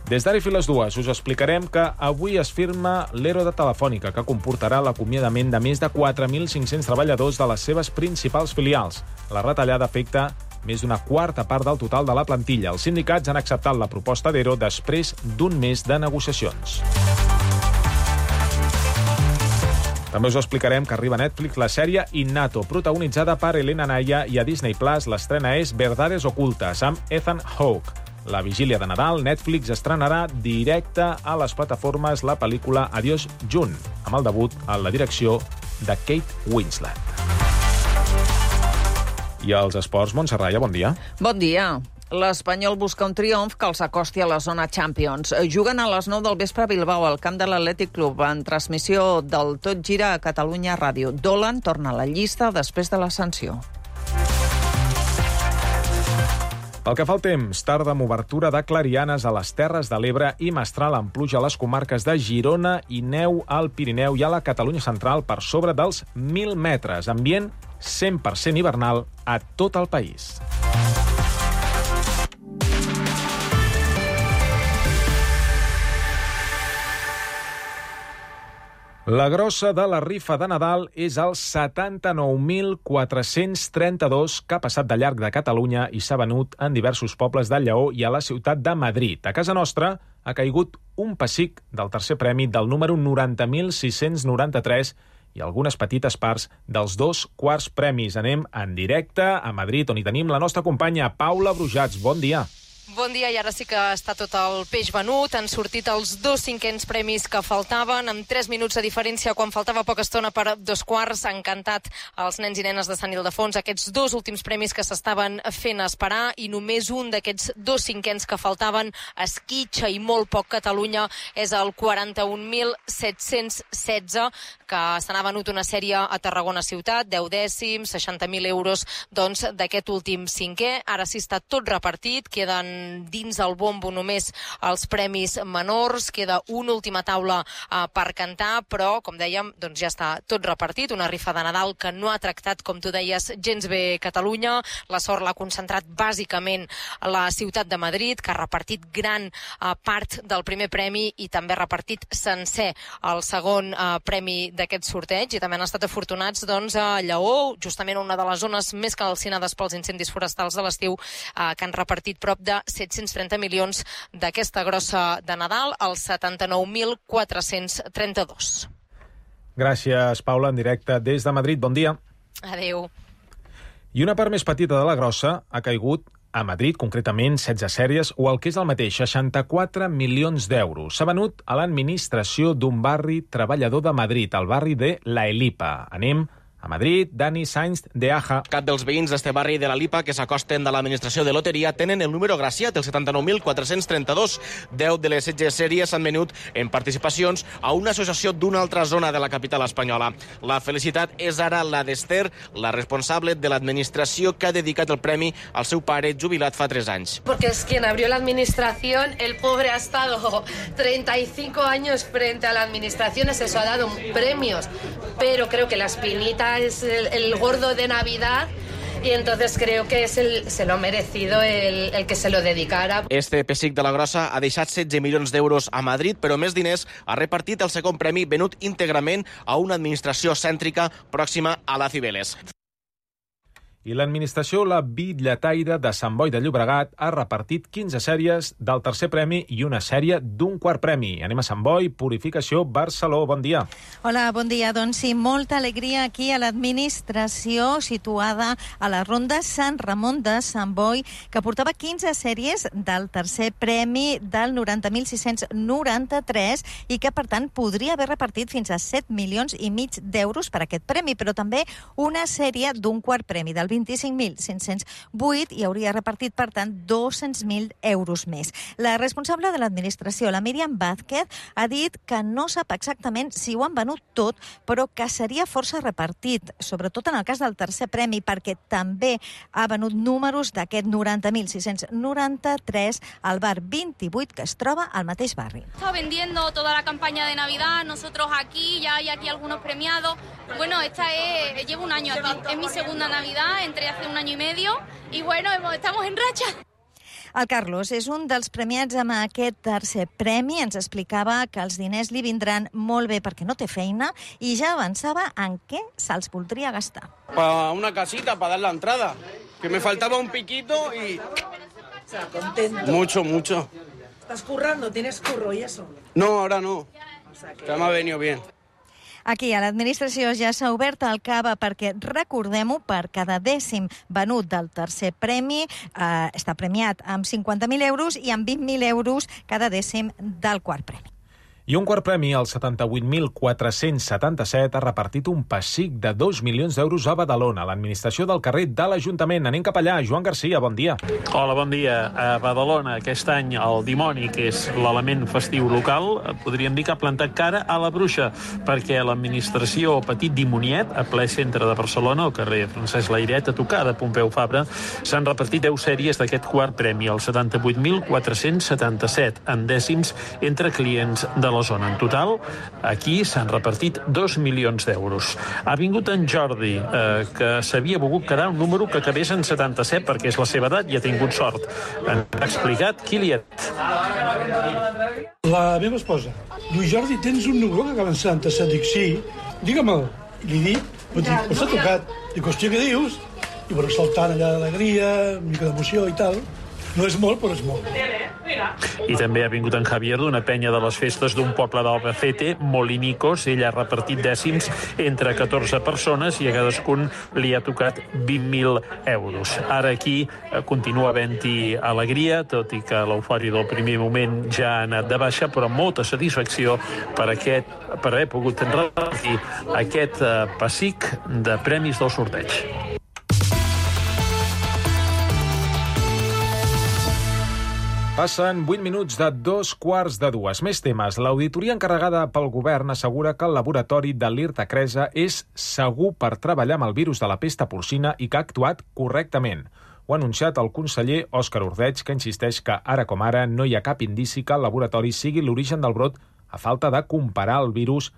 [SPEAKER 2] Des d'ara i fins les dues us explicarem que avui es firma l'Ero de Telefònica, que comportarà l'acomiadament de més de quatre mil cinc-cents treballadors de les seves principals filials. La retallada afecta més d'una quarta part del total de la plantilla. Els sindicats han acceptat la proposta d'Ero després d'un mes de negociacions. També us explicarem que arriba a Netflix la sèrie Innato, protagonitzada per Elena Naya, i a Disney Plus l'estrena és Verdades ocultas, amb Ethan Hawke. La vigília de Nadal, Netflix estrenarà directe a les plataformes la pel·lícula Adiós June, amb el debut en la direcció de Kate Winslet. I als esports, Montserrat, bon dia.
[SPEAKER 1] Bon dia. L'Espanyol busca un triomf que els acosti a la zona Champions. Juguen a les nou del vespre a Bilbao, al camp de l'Atlètic Club, en transmissió del Tot Gira a Catalunya Ràdio. Dolan torna a la llista després de la sanció.
[SPEAKER 2] Pel que fa al temps, tarda amb obertura de clarianes a les Terres de l'Ebre i mestral amb pluja a les comarques de Girona i neu al Pirineu i a la Catalunya central per sobre dels mil metres. Ambient cent per cent hivernal a tot el país. La grossa de la rifa de Nadal és el setanta-nou mil quatre-cents trenta-dos que ha passat de llarg de Catalunya i s'ha venut en diversos pobles de Lleó i a la ciutat de Madrid. A casa nostra ha caigut un pessic del tercer premi del número noranta mil sis-cents noranta-tres i algunes petites parts dels dos quarts premis. Anem en directe a Madrid, on hi tenim la nostra companya Paula Brujats. Bon dia.
[SPEAKER 6] Bon dia, i ara sí que està tot el peix venut. Han sortit els dos cinquens premis que faltaven, amb tres minuts de diferència quan faltava poca estona per dos quarts. Han cantat els nens i nenes de Sant Ildefons aquests dos últims premis que s'estaven fent esperar, i només un d'aquests dos cinquens que faltaven esquitxa i molt poc Catalunya és el quaranta-un mil set-cents setze, que se n'ha venut una sèrie a Tarragona ciutat, deu dècims, seixanta mil euros doncs d'aquest últim cinquè. Ara sí està tot repartit, queden queden dins el bombo només els premis menors, queda una última taula uh, per cantar, però, com dèiem, doncs ja està tot repartit, una rifa de Nadal que no ha tractat, com tu deies, gens bé Catalunya. La sort l'ha concentrat bàsicament a la ciutat de Madrid, que ha repartit gran uh, part del primer premi i també ha repartit sencer el segon uh, premi d'aquest sorteig, i també han estat afortunats doncs, a Lleó, justament una de les zones més calcinades pels incendis forestals de l'estiu, uh, que han repartit prop de set-cents trenta milions d'aquesta grossa de Nadal, als setanta-nou mil quatre-cents trenta-dos.
[SPEAKER 2] Gràcies, Paula, en directe des de Madrid. Bon dia.
[SPEAKER 6] Adéu.
[SPEAKER 2] I una part més petita de la grossa ha caigut a Madrid, concretament setze sèries, o el que és el mateix, seixanta-quatre milions d'euros. S'ha venut a l'administració d'un barri treballador de Madrid, el barri de La Elipa. Anem a Madrid. Dani Sainz de Aja.
[SPEAKER 7] Cap dels veïns d'este barri de la Lipa que s'acosten de l'administració de loteria tenen el número graciat, el setanta-nou mil quatre-cents trenta-dos. Deu de les setze sèries s'han venut en participacions a una associació d'una altra zona de la capital espanyola. La felicitat és ara la d'Esther, la responsable de l'administració que ha dedicat el premi al seu pare jubilat fa tres anys.
[SPEAKER 8] Porque es quien abrió la administración, el pobre ha estado treinta y cinco años frente a la administración, eso ha dado premios, pero creo que la espinita es el, el gordo de Navidad y entonces creo que es el, se lo ha merecido el, el que se lo dedicara.
[SPEAKER 7] Este pessic de la grossa ha deixat setze milions d'euros a Madrid, però més diners ha repartit el segon premi venut íntegrament a una administració cèntrica pròxima a la Cibeles.
[SPEAKER 2] I l'administració La Bitlletaire de Sant Boi de Llobregat ha repartit quinze sèries del tercer premi i una sèrie d'un quart premi. Anem a Sant Boi, Purificació, Barceló. Bon dia.
[SPEAKER 9] Hola, bon dia. Doncs sí, molta alegria aquí a l'administració situada a la Ronda Sant Ramon de Sant Boi, que portava quinze sèries del tercer premi del noranta mil sis-cents noranta-tres i que, per tant, podria haver repartit fins a set milions i mig d'euros per aquest premi, però també una sèrie d'un quart premi del vint-i-cinc mil cinc-cents vuit i hauria repartit, per tant, dos-cents mil euros més. La responsable de l'administració, la Míriam Vázquez, ha dit que no sap exactament si ho han venut tot, però que seria força repartit, sobretot en el cas del tercer premi, perquè també ha venut números d'aquest noranta mil sis-cents noranta-tres al bar vint-i-vuit, que es troba al mateix barri.
[SPEAKER 12] Está vendiendo toda la campaña de Navidad, nosotros aquí, ya hay aquí algunos premiados. Bueno, esta es, llevo un año aquí, es mi segunda Navidad, entré hace un año y medio y bueno, estamos en racha.
[SPEAKER 9] El Carlos és un dels premiats amb aquest tercer premi. Ens explicava que els diners li vindran molt bé perquè no té feina i ja avançava en què se'ls voldria gastar.
[SPEAKER 22] Para una casita, para dar la entrada. Que me faltaba un piquito y...
[SPEAKER 25] O sea, contento.
[SPEAKER 22] Mucho, mucho.
[SPEAKER 25] ¿Estás currando? ¿Tienes curro y eso?
[SPEAKER 22] No, ahora no.
[SPEAKER 25] O sea, que...
[SPEAKER 22] Ya me ha venido bien.
[SPEAKER 9] Aquí a l'administració ja s'ha obert el cava perquè, recordem-ho, per cada dècim venut del tercer premi eh, està premiat amb cinquanta mil euros i amb vint mil euros cada dècim del quart premi.
[SPEAKER 2] I un quart premi, el setanta-vuit mil quatre-cents setanta-set, ha repartit un pessic de dos milions d'euros a Badalona, a l'administració del carrer de l'Ajuntament. Anem cap allà. Joan Garcia, bon dia.
[SPEAKER 26] Hola, bon dia. A Badalona, aquest any, el dimoni, que és l'element festiu local, podríem dir que ha plantat cara a la bruixa, perquè l'administració Petit Dimoniet, a ple centre de Barcelona, al carrer Francesc Layret, a tocar de Pompeu Fabra, s'han repartit deu sèries d'aquest quart premi, el setanta-vuit mil quatre-cents setanta-set, en dècims entre clients de la zona. En total, aquí s'han repartit dos milions d'euros. Ha vingut en Jordi, eh, que s'havia volgut quedar un número que acabés en setanta-set, perquè és la seva edat i ha tingut sort. Ens ha explicat qui li ha...
[SPEAKER 10] La meva esposa diu, Jordi, tens un número que acaba en setanta-set? Dic, sí, digue-me'l. I li dic, pues s'ha tocat. Dic, hòstia, què dius? I bueno, saltant allà d'alegria, una mica d'emoció i tal. No és molt, però és molt.
[SPEAKER 26] I també ha vingut en Javier d'una penya de les festes d'un poble d'Albacete, Molinicos. Ell ha repartit dècims entre catorze persones i a cadascun li ha tocat vint mil euros. Ara aquí continua havent-hi alegria, tot i que l'eufòria del primer moment ja ha anat de baixa, però molta satisfacció per, aquest, per haver pogut repartir aquest pessic de premis del sorteig.
[SPEAKER 2] Passen vuit minuts de dos quarts de dues. Més temes. L'auditoria encarregada pel govern assegura que el laboratori de l'IRTA Cresa és segur per treballar amb el virus de la pesta porcina i que ha actuat correctament. Ho ha anunciat el conseller Òscar Ordeig, que insisteix que ara com ara no hi ha cap indici que el laboratori sigui l'origen del brot a falta de comparar el virus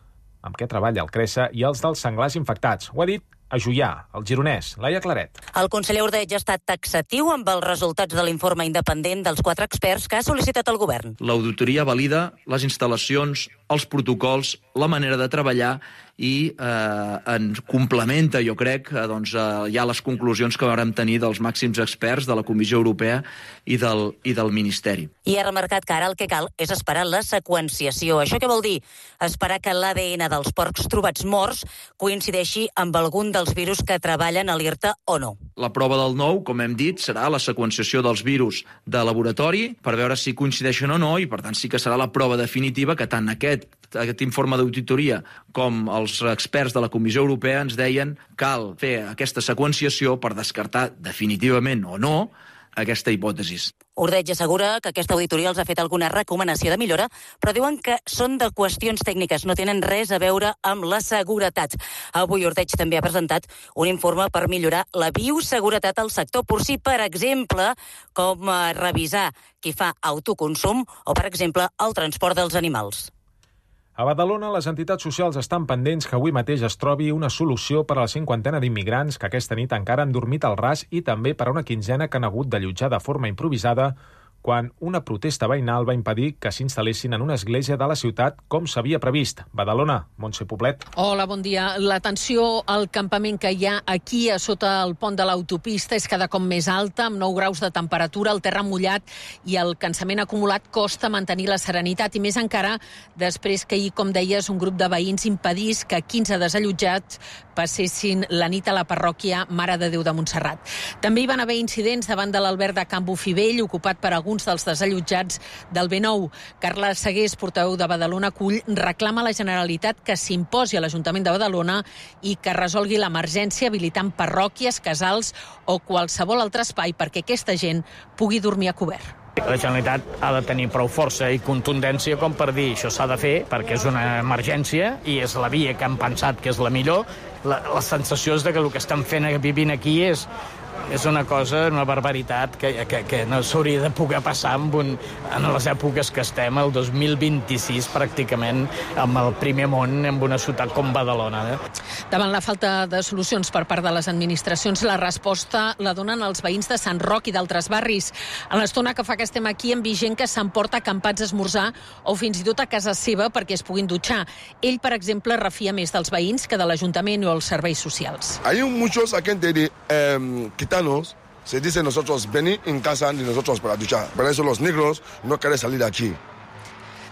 [SPEAKER 2] amb què treballa el CRESA i els dels senglars infectats. Ho ha dit a Juià, el gironès, Laia Claret.
[SPEAKER 11] El conseller Ordeig ha estat taxatiu amb els resultats de l'informe independent dels quatre experts que ha sol·licitat el govern.
[SPEAKER 13] L'auditoria valida les instal·lacions, els protocols, la manera de treballar i eh, en complementa, jo crec, eh, doncs, eh, ja les conclusions que vam tenir dels màxims experts de la Comissió Europea i del, i del Ministeri.
[SPEAKER 11] I ha remarcat que ara el que cal és esperar la seqüenciació. Això què vol dir? Esperar que l'A D N dels porcs trobats morts coincideixi amb algun dels virus que treballen a l'I R T A o no.
[SPEAKER 13] La prova del nou, com hem dit, serà la seqüenciació dels virus de laboratori per veure si coincideixen o no i, per tant, sí que serà la prova definitiva que tant aquest, aquest informe d'auditoria com els experts de la Comissió Europea ens deien cal fer aquesta seqüenciació per descartar definitivament o no aquesta hipòtesi.
[SPEAKER 11] Ordeig assegura que aquesta auditoria els ha fet alguna recomanació de millora, però diuen que són de qüestions tècniques, no tenen res a veure amb la seguretat. Avui Ordeig també ha presentat un informe per millorar la bioseguretat al sector porcí, per exemple, com revisar qui fa autoconsum o, per exemple, el transport dels animals.
[SPEAKER 2] A Badalona, les entitats socials estan pendents que avui mateix es trobi una solució per a la cinquantena d'immigrants que aquesta nit encara han dormit al ras i també per a una quinzena que han hagut d'allotjar de forma improvisada quan una protesta veïnal va impedir que s'instal·lessin en una església de la ciutat com s'havia previst. Badalona, Montse Poblet.
[SPEAKER 14] Hola, bon dia. La tensió al campament que hi ha aquí a sota el pont de l'autopista és cada cop més alta, amb nou graus de temperatura, el terra mullat i el cansament acumulat costa mantenir la serenitat, i més encara després que ahir, com deies, un grup de veïns impedís que quinze desallotjats passessin la nit a la parròquia Mare de Déu de Montserrat. També hi van haver incidents davant de l'alberg de Can Bofivell, ocupat per alguns dels desallotjats del B nou. Carla Segués, portaveu de Badalona Cull, reclama a la Generalitat que s'imposi a l'Ajuntament de Badalona i que resolgui l'emergència habilitant parròquies, casals o qualsevol altre espai perquè aquesta gent pugui dormir a cobert.
[SPEAKER 15] La Generalitat ha de tenir prou força i contundència com per dir això s'ha de fer perquè és una emergència i és la via que han pensat que és la millor. La, la sensació és de que el que estan fent vivint aquí és és una cosa, una barbaritat que, que, que no s'hauria de poder passar en, un, en les èpoques que estem, el dos mil vint-i-sis pràcticament, amb el primer món, en una ciutat com Badalona. Eh?
[SPEAKER 14] Davant la falta de solucions per part de les administracions, la resposta la donen els veïns de Sant Roc i d'altres barris. En l'estona que fa que estem aquí hem vist gent que s'emporta acampats a esmorzar o fins i tot a casa seva perquè es puguin dutxar. Ell, per exemple, refia més dels veïns que de l'Ajuntament o els serveis socials.
[SPEAKER 16] Hay muchos aquí de eh, gitanos, se dice nosotros venir en casa de nosotros para duchar. Por eso los negros no quieren salir de aquí.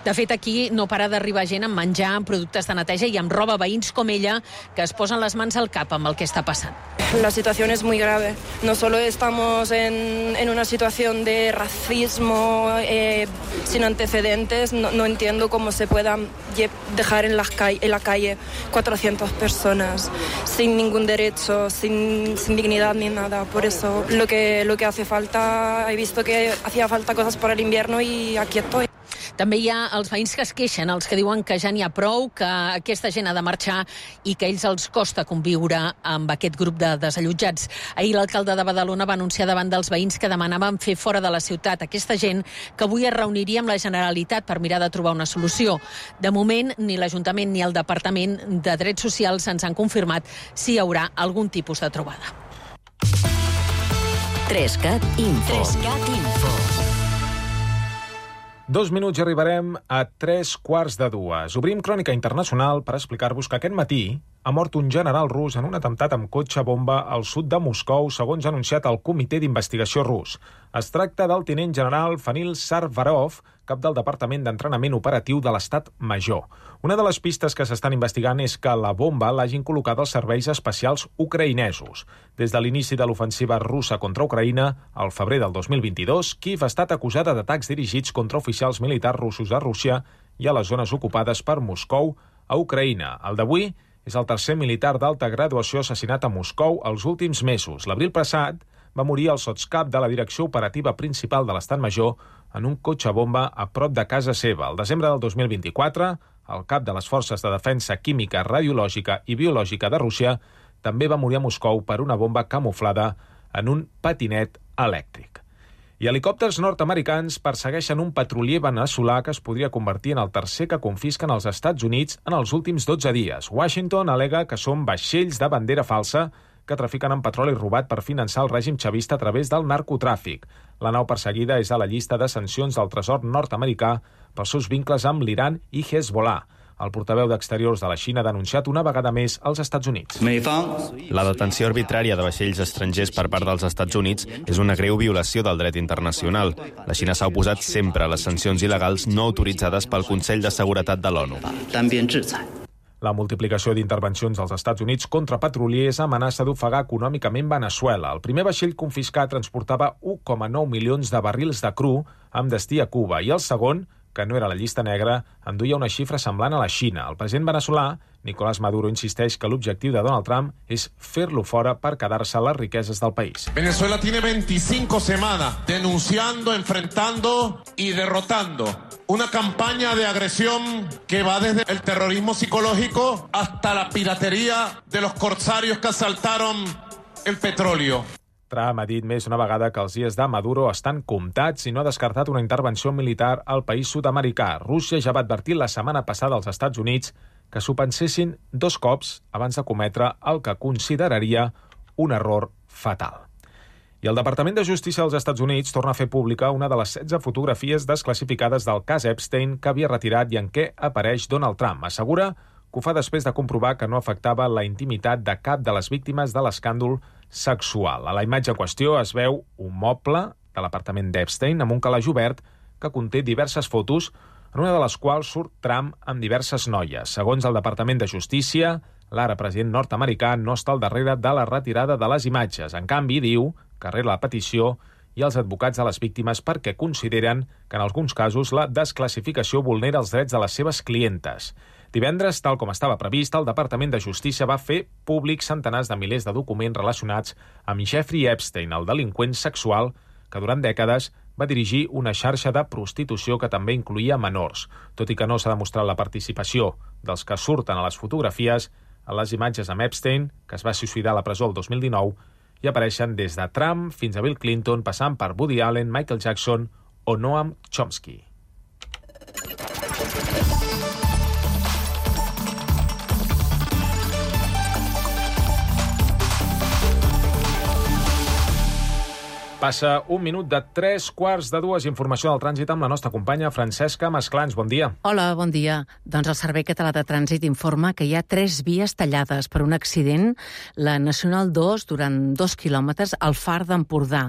[SPEAKER 14] De fet, aquí no para d'arribar gent amb menjar, amb productes de neteja i amb roba, veïns com ella, que es posen les mans al cap amb el que està passant.
[SPEAKER 17] La situación es muy grave. No solo estamos en, en una situación de racismo eh, sin antecedentes, no, no entiendo cómo se puedan dejar en, las ca- en la calle cuatrocientas personas sin ningún derecho, sin, sin dignidad ni nada. Por eso lo que, lo que hace falta, he visto que hacía falta cosas para el invierno y aquí estoy.
[SPEAKER 14] També hi ha els veïns que es queixen, els que diuen que ja n'hi ha prou, que aquesta gent ha de marxar i que a ells els costa conviure amb aquest grup de desallotjats. Ahir l'alcalde de Badalona va anunciar davant dels veïns que demanaven fer fora de la ciutat aquesta gent, que avui es reuniria amb la Generalitat per mirar de trobar una solució. De moment, ni l'Ajuntament ni el Departament de Drets Socials ens han confirmat si hi haurà algun tipus de trobada.
[SPEAKER 18] Trescat Info. Trescat Info.
[SPEAKER 2] Dos minuts i arribarem a tres quarts de dues. Obrim Crònica Internacional per explicar-vos que aquest matí ha mort un general rus en un atemptat amb cotxe bomba al sud de Moscou, segons ha anunciat el Comitè d'Investigació rus. Es tracta del tinent general Fanil Sarvarov, cap del Departament d'Entrenament Operatiu de l'Estat Major. Una de les pistes que s'estan investigant és que la bomba l'hagin col·locat els serveis especials ucraïnesos. Des de l'inici de l'ofensiva russa contra Ucraïna, al febrer del dos mil vint-i-dos, Kíev ha estat acusada d'atacs dirigits contra oficials militars russos a Rússia i a les zones ocupades per Moscou a Ucraïna. El d'avui és el tercer militar d'alta graduació assassinat a Moscou els últims mesos. L'abril passat va morir el sotscap de la direcció operativa principal de l'Estat Major en un cotxe bomba a prop de casa seva. El desembre del dos mil vint-i-quatre, el cap de les Forces de Defensa Química, Radiològica i Biològica de Rússia també va morir a Moscou per una bomba camuflada en un patinet elèctric. I helicòpters nord-americans persegueixen un petrolier veneçolà que es podria convertir en el tercer que confisquen els Estats Units en els últims dotze dies. Washington al·lega que són vaixells de bandera falsa que trafiquen amb petroli robat per finançar el règim xavista a través del narcotràfic. La nau perseguida és a la llista de sancions del tresor nord-americà pels seus vincles amb l'Iran i Hezbollah. El portaveu d'Exteriors de la Xina ha denunciat una vegada més als Estats Units.
[SPEAKER 3] La detenció arbitrària de vaixells estrangers per part dels Estats Units és una greu violació del dret internacional. La Xina s'ha oposat sempre a les sancions il·legals no autoritzades pel Consell de Seguretat de l'ONU.
[SPEAKER 2] La multiplicació d'intervencions dels Estats Units contra petroliers amenaça d'ofegar econòmicament Veneçuela. El primer vaixell confiscat transportava un coma nou milions de barrils de cru amb destí a Cuba i el segon, que no era la llista negra, enduia una xifra semblant a la Xina. El president veneçolà, Nicolás Maduro, insisteix que l'objectiu de Donald Trump és fer-lo fora per quedar-se les riqueses del país.
[SPEAKER 19] Venezuela tiene veinticinco semanas denunciando, enfrentando y derrotando una campaña de agresión que va desde el terrorismo psicológico hasta la piratería de los corsarios que asaltaron el petróleo.
[SPEAKER 2] Trump ha dit més una vegada que els dies de Maduro estan comptats i no ha descartat una intervenció militar al país sud-americà. Rússia ja va advertir la setmana passada als Estats Units que s'ho pensessin dos cops abans de cometre el que consideraria un error fatal. I el Departament de Justícia dels Estats Units torna a fer pública una de les setze fotografies desclassificades del cas Epstein que havia retirat i en què apareix Donald Trump. Assegura que ho fa després de comprovar que no afectava la intimitat de cap de les víctimes de l'escàndol sexual. A la imatge en qüestió es veu un moble de l'apartament d'Epstein amb un calaix obert que conté diverses fotos, en una de les quals surt Trump amb diverses noies. Segons el Departament de Justícia, l'ara president nord-americà no està al darrere de la retirada de les imatges. En canvi, diu que rere la petició i els advocats de les víctimes perquè consideren que en alguns casos la desclassificació vulnera els drets de les seves clientes. Divendres, tal com estava previst, el Departament de Justícia va fer públics centenars de milers de documents relacionats amb Jeffrey Epstein, el delinqüent sexual que durant dècades va dirigir una xarxa de prostitució que també incluïa menors. Tot i que no s'ha demostrat la participació dels que surten a les fotografies, a les imatges amb Epstein, que es va suïcidar a la presó el dos mil dinou, hi apareixen des de Trump fins a Bill Clinton, passant per Woody Allen, Michael Jackson o Noam Chomsky. Passa un minut de tres quarts de dues. Informació del trànsit amb la nostra companya Francesca Masclans. Bon dia.
[SPEAKER 20] Hola, bon dia. Doncs el Servei Català de Trànsit informa que hi ha tres vies tallades per un accident. La Nacional dos, durant dos quilòmetres, al Far d'Empordà.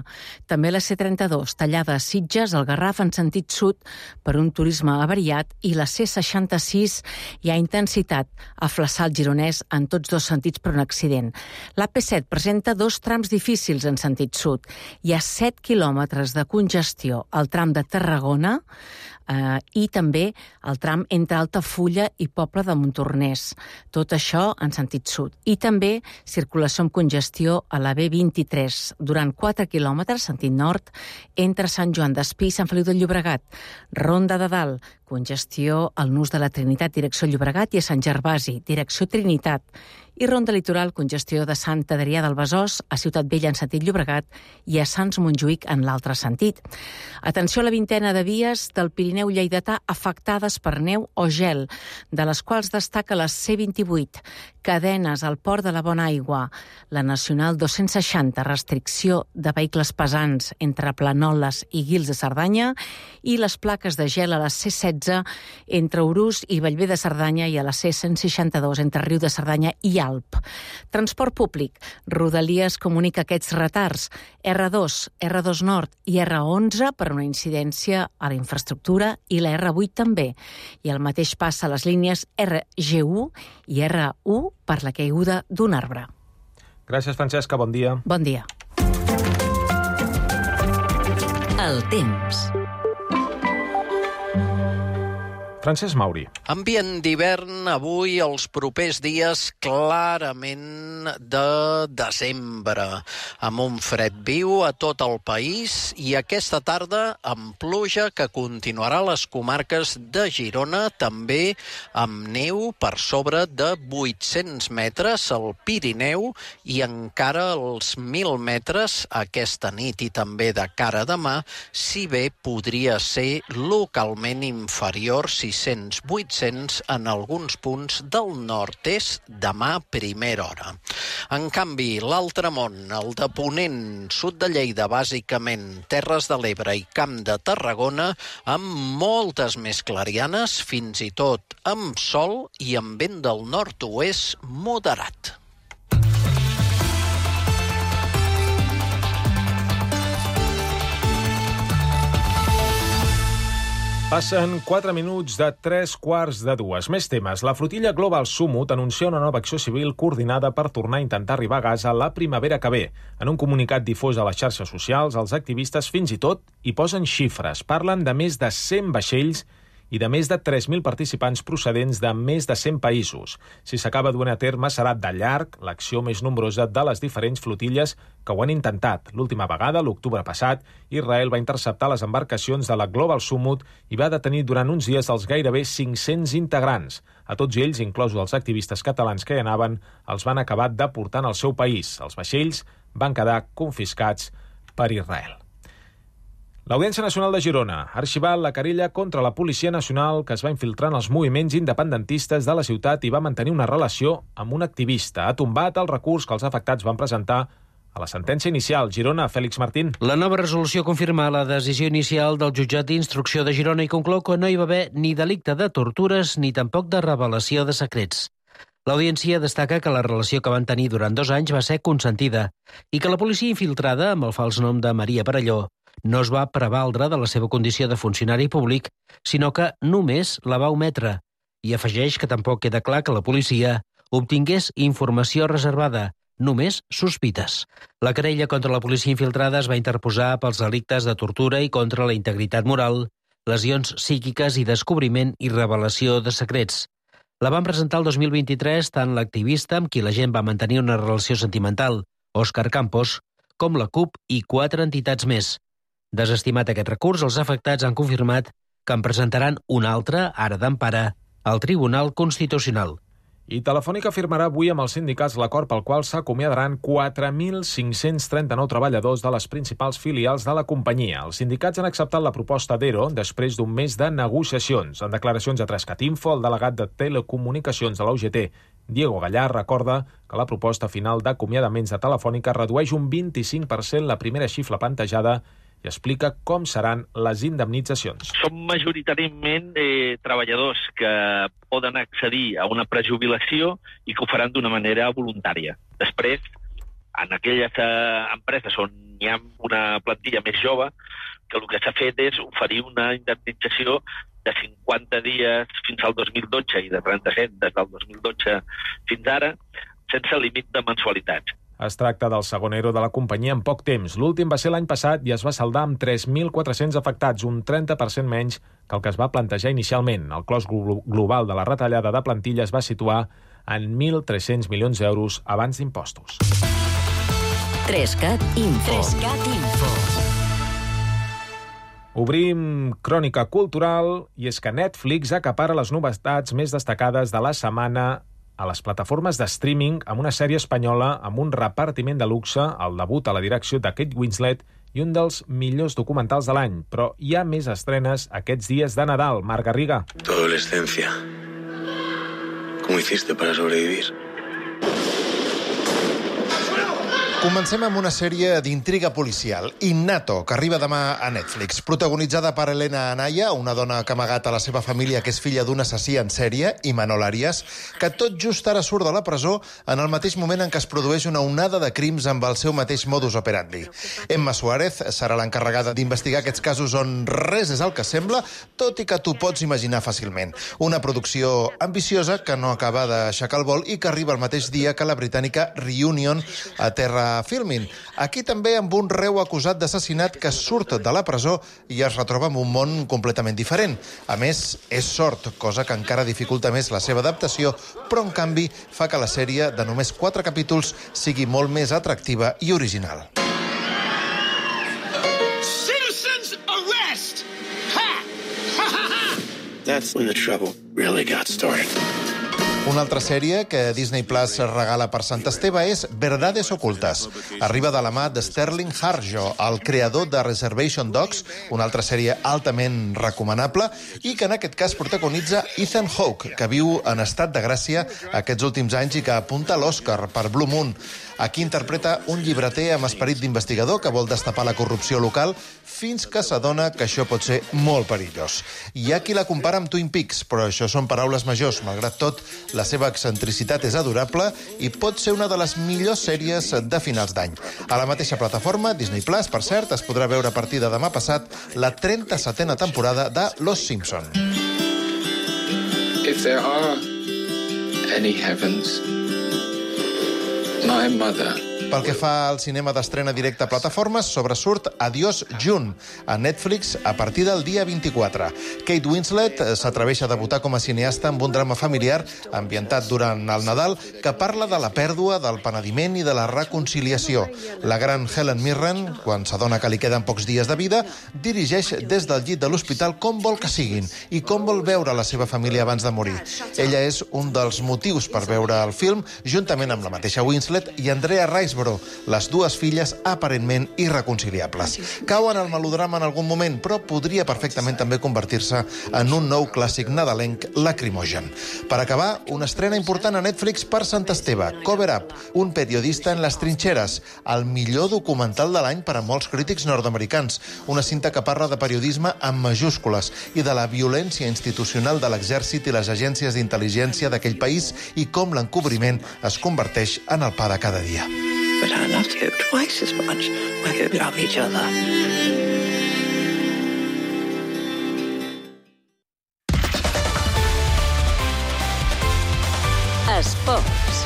[SPEAKER 20] També la C trenta-dos, tallada a Sitges, al Garraf, en sentit sud, per un turisme avariat. I la C seixanta-sis, hi ha intensitat a Flaçà, al Gironès, en tots dos sentits per un accident. La P set presenta dos trams difícils en sentit sud. Hi ha set quilòmetres de congestió al tram de Tarragona eh, i també el tram entre Altafulla i Poble de Montornès. Tot això en sentit sud. I també circulació amb congestió a la B vint-i-tres, durant quatre quilòmetres, sentit nord, entre Sant Joan d'Espí i Sant Feliu del Llobregat. Ronda de Dalt, congestió al Nus de la Trinitat, direcció Llobregat, i a Sant Gervasi, direcció Trinitat. I Ronda Litoral, congestió de Sant Adrià del Besòs a Ciutat Vella en sentit Llobregat i a Sants Montjuïc en l'altre sentit. Atenció a la vintena de vies del Pirineu lleidatà afectades per neu o gel, de les quals destaca la C vint-i-vuit, cadenes al Port de la Bona Aigua, la Nacional dos-cents seixanta, restricció de vehicles pesants entre Planoles i Guils de Cerdanya, i les plaques de gel a la C setze entre Urús i Bellver de Cerdanya i a la C cent seixanta-dos entre Riu de Cerdanya i Alp. Transport públic. Rodalies comunica aquests retards. R dos, R dos Nord i R onze per una incidència a la infraestructura i la R vuit també. I el mateix passa a les línies R G u i R u per la caiguda d'un arbre.
[SPEAKER 2] Gràcies, Francesca. Bon dia.
[SPEAKER 20] Bon dia.
[SPEAKER 18] El temps.
[SPEAKER 2] Francesc Mauri.
[SPEAKER 1] Ambient d'hivern avui, els propers dies, clarament de desembre, amb un fred viu a tot el país i aquesta tarda amb pluja que continuarà a les comarques de Girona, també amb neu per sobre de vuit-cents metres al Pirineu i encara als mil metres aquesta nit i també de cara a demà, si bé podria ser localment inferior sis-cents vuit-cents en alguns punts del nord-est demà a primera hora. En canvi, l'altre món, el de Ponent, sud de Lleida, bàsicament, Terres de l'Ebre i Camp de Tarragona, amb moltes més clarianes, fins i tot amb sol i amb vent del nord-oest moderat.
[SPEAKER 2] Passen quatre minuts de tres quarts de dues. Més temes. La flotilla Global Summit anuncia una nova acció civil coordinada per tornar a intentar arribar a Gaza la primavera que ve. En un comunicat difós a les xarxes socials, els activistes fins i tot hi posen xifres. Parlen de més de cent vaixells i de més de tres mil participants procedents de més de cent països. Si s'acaba duent a terme, serà de llarg l'acció més nombrosa de les diferents flotilles que ho han intentat. L'última vegada, l'octubre passat, Israel va interceptar les embarcacions de la Global Summit i va detenir durant uns dies els gairebé cinc-cents integrants. A tots ells, inclosos els activistes catalans que hi anaven, els van acabar deportant al seu país. Els vaixells van quedar confiscats per Israel. L'Audiència Nacional de Girona ha arxivat la querella contra la Policia Nacional que es va infiltrar en els moviments independentistes de la ciutat i va mantenir una relació amb un activista. Ha tombat el recurs que els afectats van presentar a la sentència inicial. Girona, Fèlix Martín.
[SPEAKER 4] La nova resolució confirma la decisió inicial del jutjat d'instrucció de Girona i conclou que no hi va haver ni delicte de tortures ni tampoc de revelació de secrets. L'audiència destaca que la relació que van tenir durant dos anys va ser consentida i que la policia infiltrada, amb el fals nom de Maria Perelló, no es va prevaldre de la seva condició de funcionari públic, sinó que només la va ometre. I afegeix que tampoc queda clar que la policia obtingués informació reservada, només sospites. La querella contra la policia infiltrada es va interposar pels delictes de tortura i contra la integritat moral, lesions psíquiques i descobriment i revelació de secrets. La van presentar el dos mil vint-i-tres tant l'activista amb qui la gent va mantenir una relació sentimental, Òscar Campos, com la C U P i quatre entitats més. Desestimat aquest recurs, els afectats han confirmat que en presentaran un altre, ara d'empara, al Tribunal Constitucional.
[SPEAKER 2] I Telefònica firmarà avui amb els sindicats l'acord pel qual s'acomiadaran quatre mil cinc-cents trenta-nou treballadors de les principals filials de la companyia. Els sindicats han acceptat la proposta d'Ero després d'un mes de negociacions. En declaracions a Trescat Info, el delegat de Telecomunicacions de la U G T, Diego Gallar, recorda que la proposta final d'acomiadaments de Telefònica redueix un vint-i-cinc per cent la primera xifra plantejada i explica com seran les indemnitzacions.
[SPEAKER 5] Són majoritàriament eh, treballadors que poden accedir a una prejubilació i que ho faran d'una manera voluntària. Després, en aquelles eh, empreses on hi ha una plantilla més jove, que el que s'ha fet és oferir una indemnització de cinquanta dies fins al dos mil dotze i de trenta-set des del dos mil dotze fins ara, sense límit de mensualitats.
[SPEAKER 2] Es tracta del segon ero de la companyia en poc temps. L'últim va ser l'any passat i es va saldar amb tres mil quatre-cents afectats, un trenta per cent menys que el que es va plantejar inicialment. El cost global de la retallada de plantilla es va situar en mil tres-cents milions d'euros abans d'impostos.
[SPEAKER 18] Trescat Info. Trescat Info.
[SPEAKER 2] Obrim crònica cultural i és que Netflix acapara les novetats més destacades de la setmana a les plataformes de streaming amb una sèrie espanyola amb un repartiment de luxe, el debut a la direcció de Kate Winslet i un dels millors documentals de l'any. Però hi ha més estrenes aquests dies de Nadal. Marc Garriga.
[SPEAKER 21] Tu adolescencia. ¿Cómo hiciste para sobrevivir?
[SPEAKER 23] Comencem amb una sèrie d'intriga policial, Innato, que arriba demà a Netflix. Protagonitzada per Elena Anaya, una dona que ha amagat a la seva família que és filla d'un assassí en sèrie, i Manol Arias, que tot just ara surt de la presó en el mateix moment en què es produeix una onada de crims amb el seu mateix modus operandi. Emma Suárez serà l'encarregada d'investigar aquests casos on res és el que sembla, tot i que t'ho pots imaginar fàcilment. Una producció ambiciosa que no acaba d'aixecar el vol i que arriba el mateix dia que la britànica Reunion aterra a Filmin. Aquí també amb un reu acusat d'assassinat que surt de la presó i es retroba en un món completament diferent. A més, és sord, cosa que encara dificulta més la seva adaptació, però en canvi fa que la sèrie de només quatre capítols sigui molt més atractiva i original.
[SPEAKER 6] Citizens arrest! Ha! Ha ha ha!
[SPEAKER 21] That's when the trouble really got started.
[SPEAKER 23] Una altra sèrie que Disney Plus regala per Sant Esteve és Verdades Ocultes. Arriba de la mà de Sterling Harjo, el creador de Reservation Dogs, una altra sèrie altament recomanable, i que en aquest cas protagonitza Ethan Hawke, que viu en estat de gràcia aquests últims anys i que apunta a l'Oscar per Blue Moon. Aquí interpreta un llibreter amb esperit d'investigador que vol destapar la corrupció local fins que s'adona que això pot ser molt perillós. Hi ha qui la compara amb Twin Peaks, però això són paraules majors. Malgrat tot, la seva excentricitat és adorable i pot ser una de les millors sèries de finals d'any. A la mateixa plataforma, Disney Plus, per cert, es podrà veure a partir de demà passat la trenta-setena temporada de Los Simpson.
[SPEAKER 21] If there are any heavens, my mother...
[SPEAKER 23] Pel que fa al cinema d'estrena directe a plataformes, sobresurt Adiós June, a Netflix a partir del dia vint-i-quatre. Kate Winslet s'atreveix a debutar com a cineasta amb un drama familiar ambientat durant el Nadal que parla de la pèrdua, del penediment i de la reconciliació. La gran Helen Mirren, quan s'adona que li queden pocs dies de vida, dirigeix des del llit de l'hospital com vol que siguin i com vol veure la seva família abans de morir. Ella és un dels motius per veure el film, juntament amb la mateixa Winslet i Andrea Riseborough, les dues filles aparentment irreconciliables. Cauen al melodrama en algun moment, però podria perfectament també convertir-se en un nou clàssic nadalenc lacrimogen. Per acabar, una estrena important a Netflix per Sant Esteve, Cover Up, un periodista en les trinxeres, el millor documental de l'any per a molts crítics nord-americans, una cinta que parla de periodisme amb majúscules i de la violència institucional de l'exèrcit i les agències d'intel·ligència d'aquell país i com l'encobriment es converteix en el pa de cada dia.
[SPEAKER 7] But I loved you twice as much. We could love each other.
[SPEAKER 8] Esports.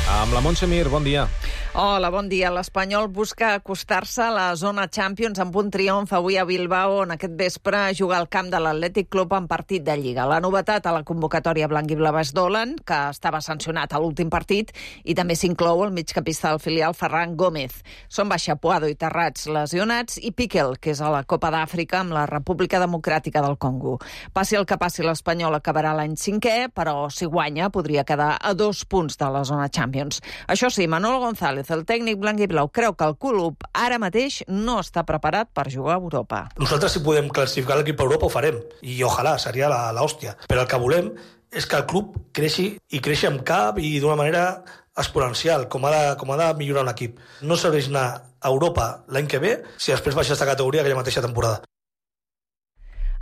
[SPEAKER 2] Amb la Montse Mir, bon dia.
[SPEAKER 8] Hola, bon dia. L'Espanyol busca acostar-se a la zona Champions amb un triomf avui a Bilbao, on aquest vespre juga al camp de l'Atlètic Club en partit de Lliga. La novetat a la convocatòria blanc-i-blava és Dolan, que estava sancionat a l'últim partit, i també s'inclou el migcampista del filial Ferran Gómez. Són baixa Puado i Terrats lesionats i Piquel, que és a la Copa d'Àfrica amb la República Democràtica del Congo. Passi el que passi, l'Espanyol acabarà l'any cinquè, però si guanya podria quedar a dos punts de la zona Champions. Això sí, Manolo González, el tècnic blanc i blau, creu que el club ara mateix no està preparat per jugar a Europa.
[SPEAKER 10] Nosaltres, si podem classificar l'equip a Europa, ho farem. I ojalà, seria l'hòstia. Però el que volem és que el club creixi i creixi amb cap i d'una manera exponencial, com ha de, com ha de millorar un equip. No serveix anar a Europa l'any que ve si després baixa aquesta categoria aquella mateixa temporada.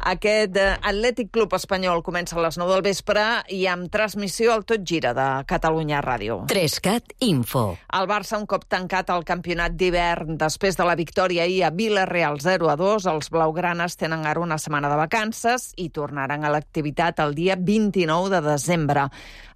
[SPEAKER 8] Aquest Atlètic Club Espanyol comença a les nou del vespre i amb transmissió al Tot Gira de Catalunya Ràdio.
[SPEAKER 18] Trescat Info.
[SPEAKER 8] El Barça, un cop tancat el campionat d'hivern després de la victòria ahir a Vila-real zero a dos, els blaugranes tenen ara una setmana de vacances i tornaran a l'activitat el dia vint-i-nou de desembre.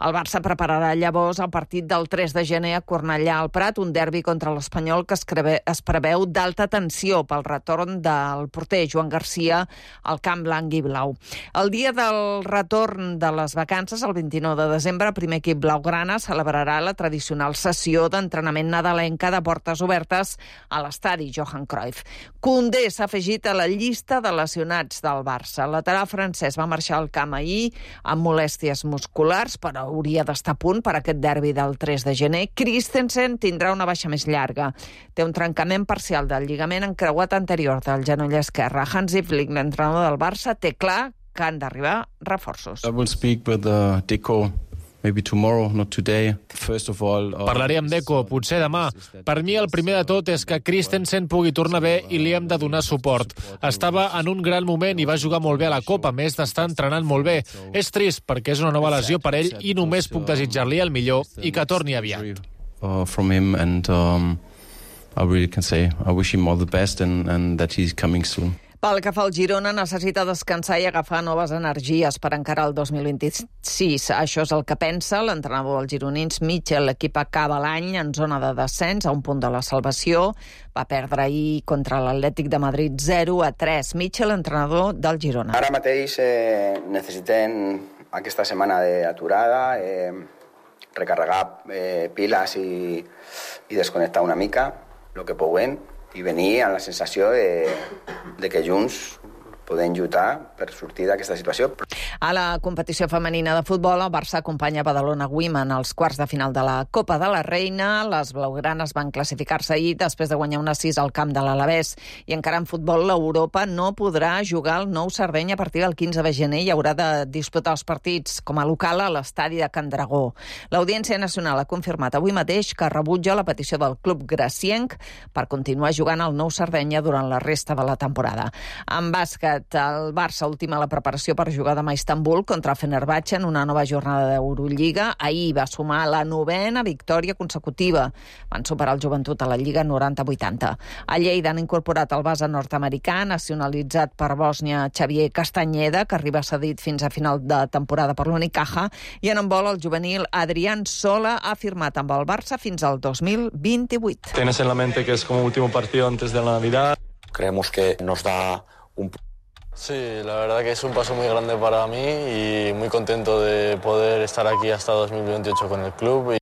[SPEAKER 8] El Barça prepararà llavors el partit del tres de gener a Cornellà al Prat, un derbi contra l'Espanyol que es preveu d'alta tensió pel retorn del porter Joan Garcia al camp blanc i blau. El dia del retorn de les vacances, el vint-i-nou de desembre, el primer equip blaugrana celebrarà la tradicional sessió d'entrenament nadalenca de portes obertes a l'estadi Johan Cruyff. Koundé s'ha afegit a la llista de lesionats del Barça. El lateral francès va marxar al camp ahir amb molèsties musculars, però hauria d'estar a punt per aquest derbi del tres de gener. Christensen tindrà una baixa més llarga. Té un trencament parcial del lligament encreuat anterior del genoll esquerre. Hansi Flick, l'entrenador del Barça, té clar que han d'arribar reforços.
[SPEAKER 12] I will speak with uh, Deco. Maybe tomorrow, not today. First of all, uh...
[SPEAKER 24] Parlaré amb Deco, potser demà. Per mi el primer de tot és que Christensen pugui tornar bé i li hem de donar suport. Estava en un gran moment i va jugar molt bé a la Copa, a més d'estar entrenant molt bé. És trist perquè és una nova lesió per ell i només puc desitjar-li el millor i que torni aviat.
[SPEAKER 12] Uh, from him and um, I really can say I wish him all the best and, and that he's coming soon.
[SPEAKER 8] Pel que fa al Girona, necessita descansar i agafar noves energies per encarar el dos mil vint-i-sis. Això és el que pensa l'entrenador dels gironins, Mitchell. L'equip acaba l'any en zona de descens, a un punt de la salvació. Va perdre ahir contra l'Atlètic de Madrid zero a tres. Mitchell, entrenador del Girona.
[SPEAKER 9] Ara mateix eh, necessitem aquesta setmana d'aturada, eh, recarregar eh, piles i, i desconnectar una mica el que puguem i venir amb la sensació de, de que junts podem lluitar per sortir d'aquesta situació.
[SPEAKER 8] A la competició femenina de futbol, el Barça acompanya Badalona Women als quarts de final de la Copa de la Reina. Les blaugranes van classificar-se ahir després de guanyar una sis al camp de l'Alavés. I encara en futbol, l'Europa no podrà jugar al Nou Sardenya a partir del quinze de gener i haurà de disputar els partits com a local a l'estadi de Can Dragó. L'Audiència Nacional ha confirmat avui mateix que rebutja la petició del club gracienc per continuar jugant al Nou Sardenya durant la resta de la temporada. En bàsquet, el Barça ultima la preparació per jugar demà a Istanbul contra Fenerbahçe en una nova jornada d'Eurolliga. Ahir va sumar la novena victòria consecutiva. Van superar el Joventut a la Lliga noranta a vuitanta. A Lleida han incorporat el base nord-americà, nacionalitzat per Bòsnia, Xavier Castañeda, que arriba cedit fins a final de temporada per l'Unicaja, i en handbol el juvenil Adrián Sola ha firmat amb el Barça fins al dos mil vint-i-vuit.
[SPEAKER 11] Tienes en la mente que es como último partido antes de la Navidad.
[SPEAKER 13] Creemos que nos da un...
[SPEAKER 22] Sí, la verdad que es un paso muy grande para mí y muy contento de poder estar aquí hasta dos mil veintiocho con el club.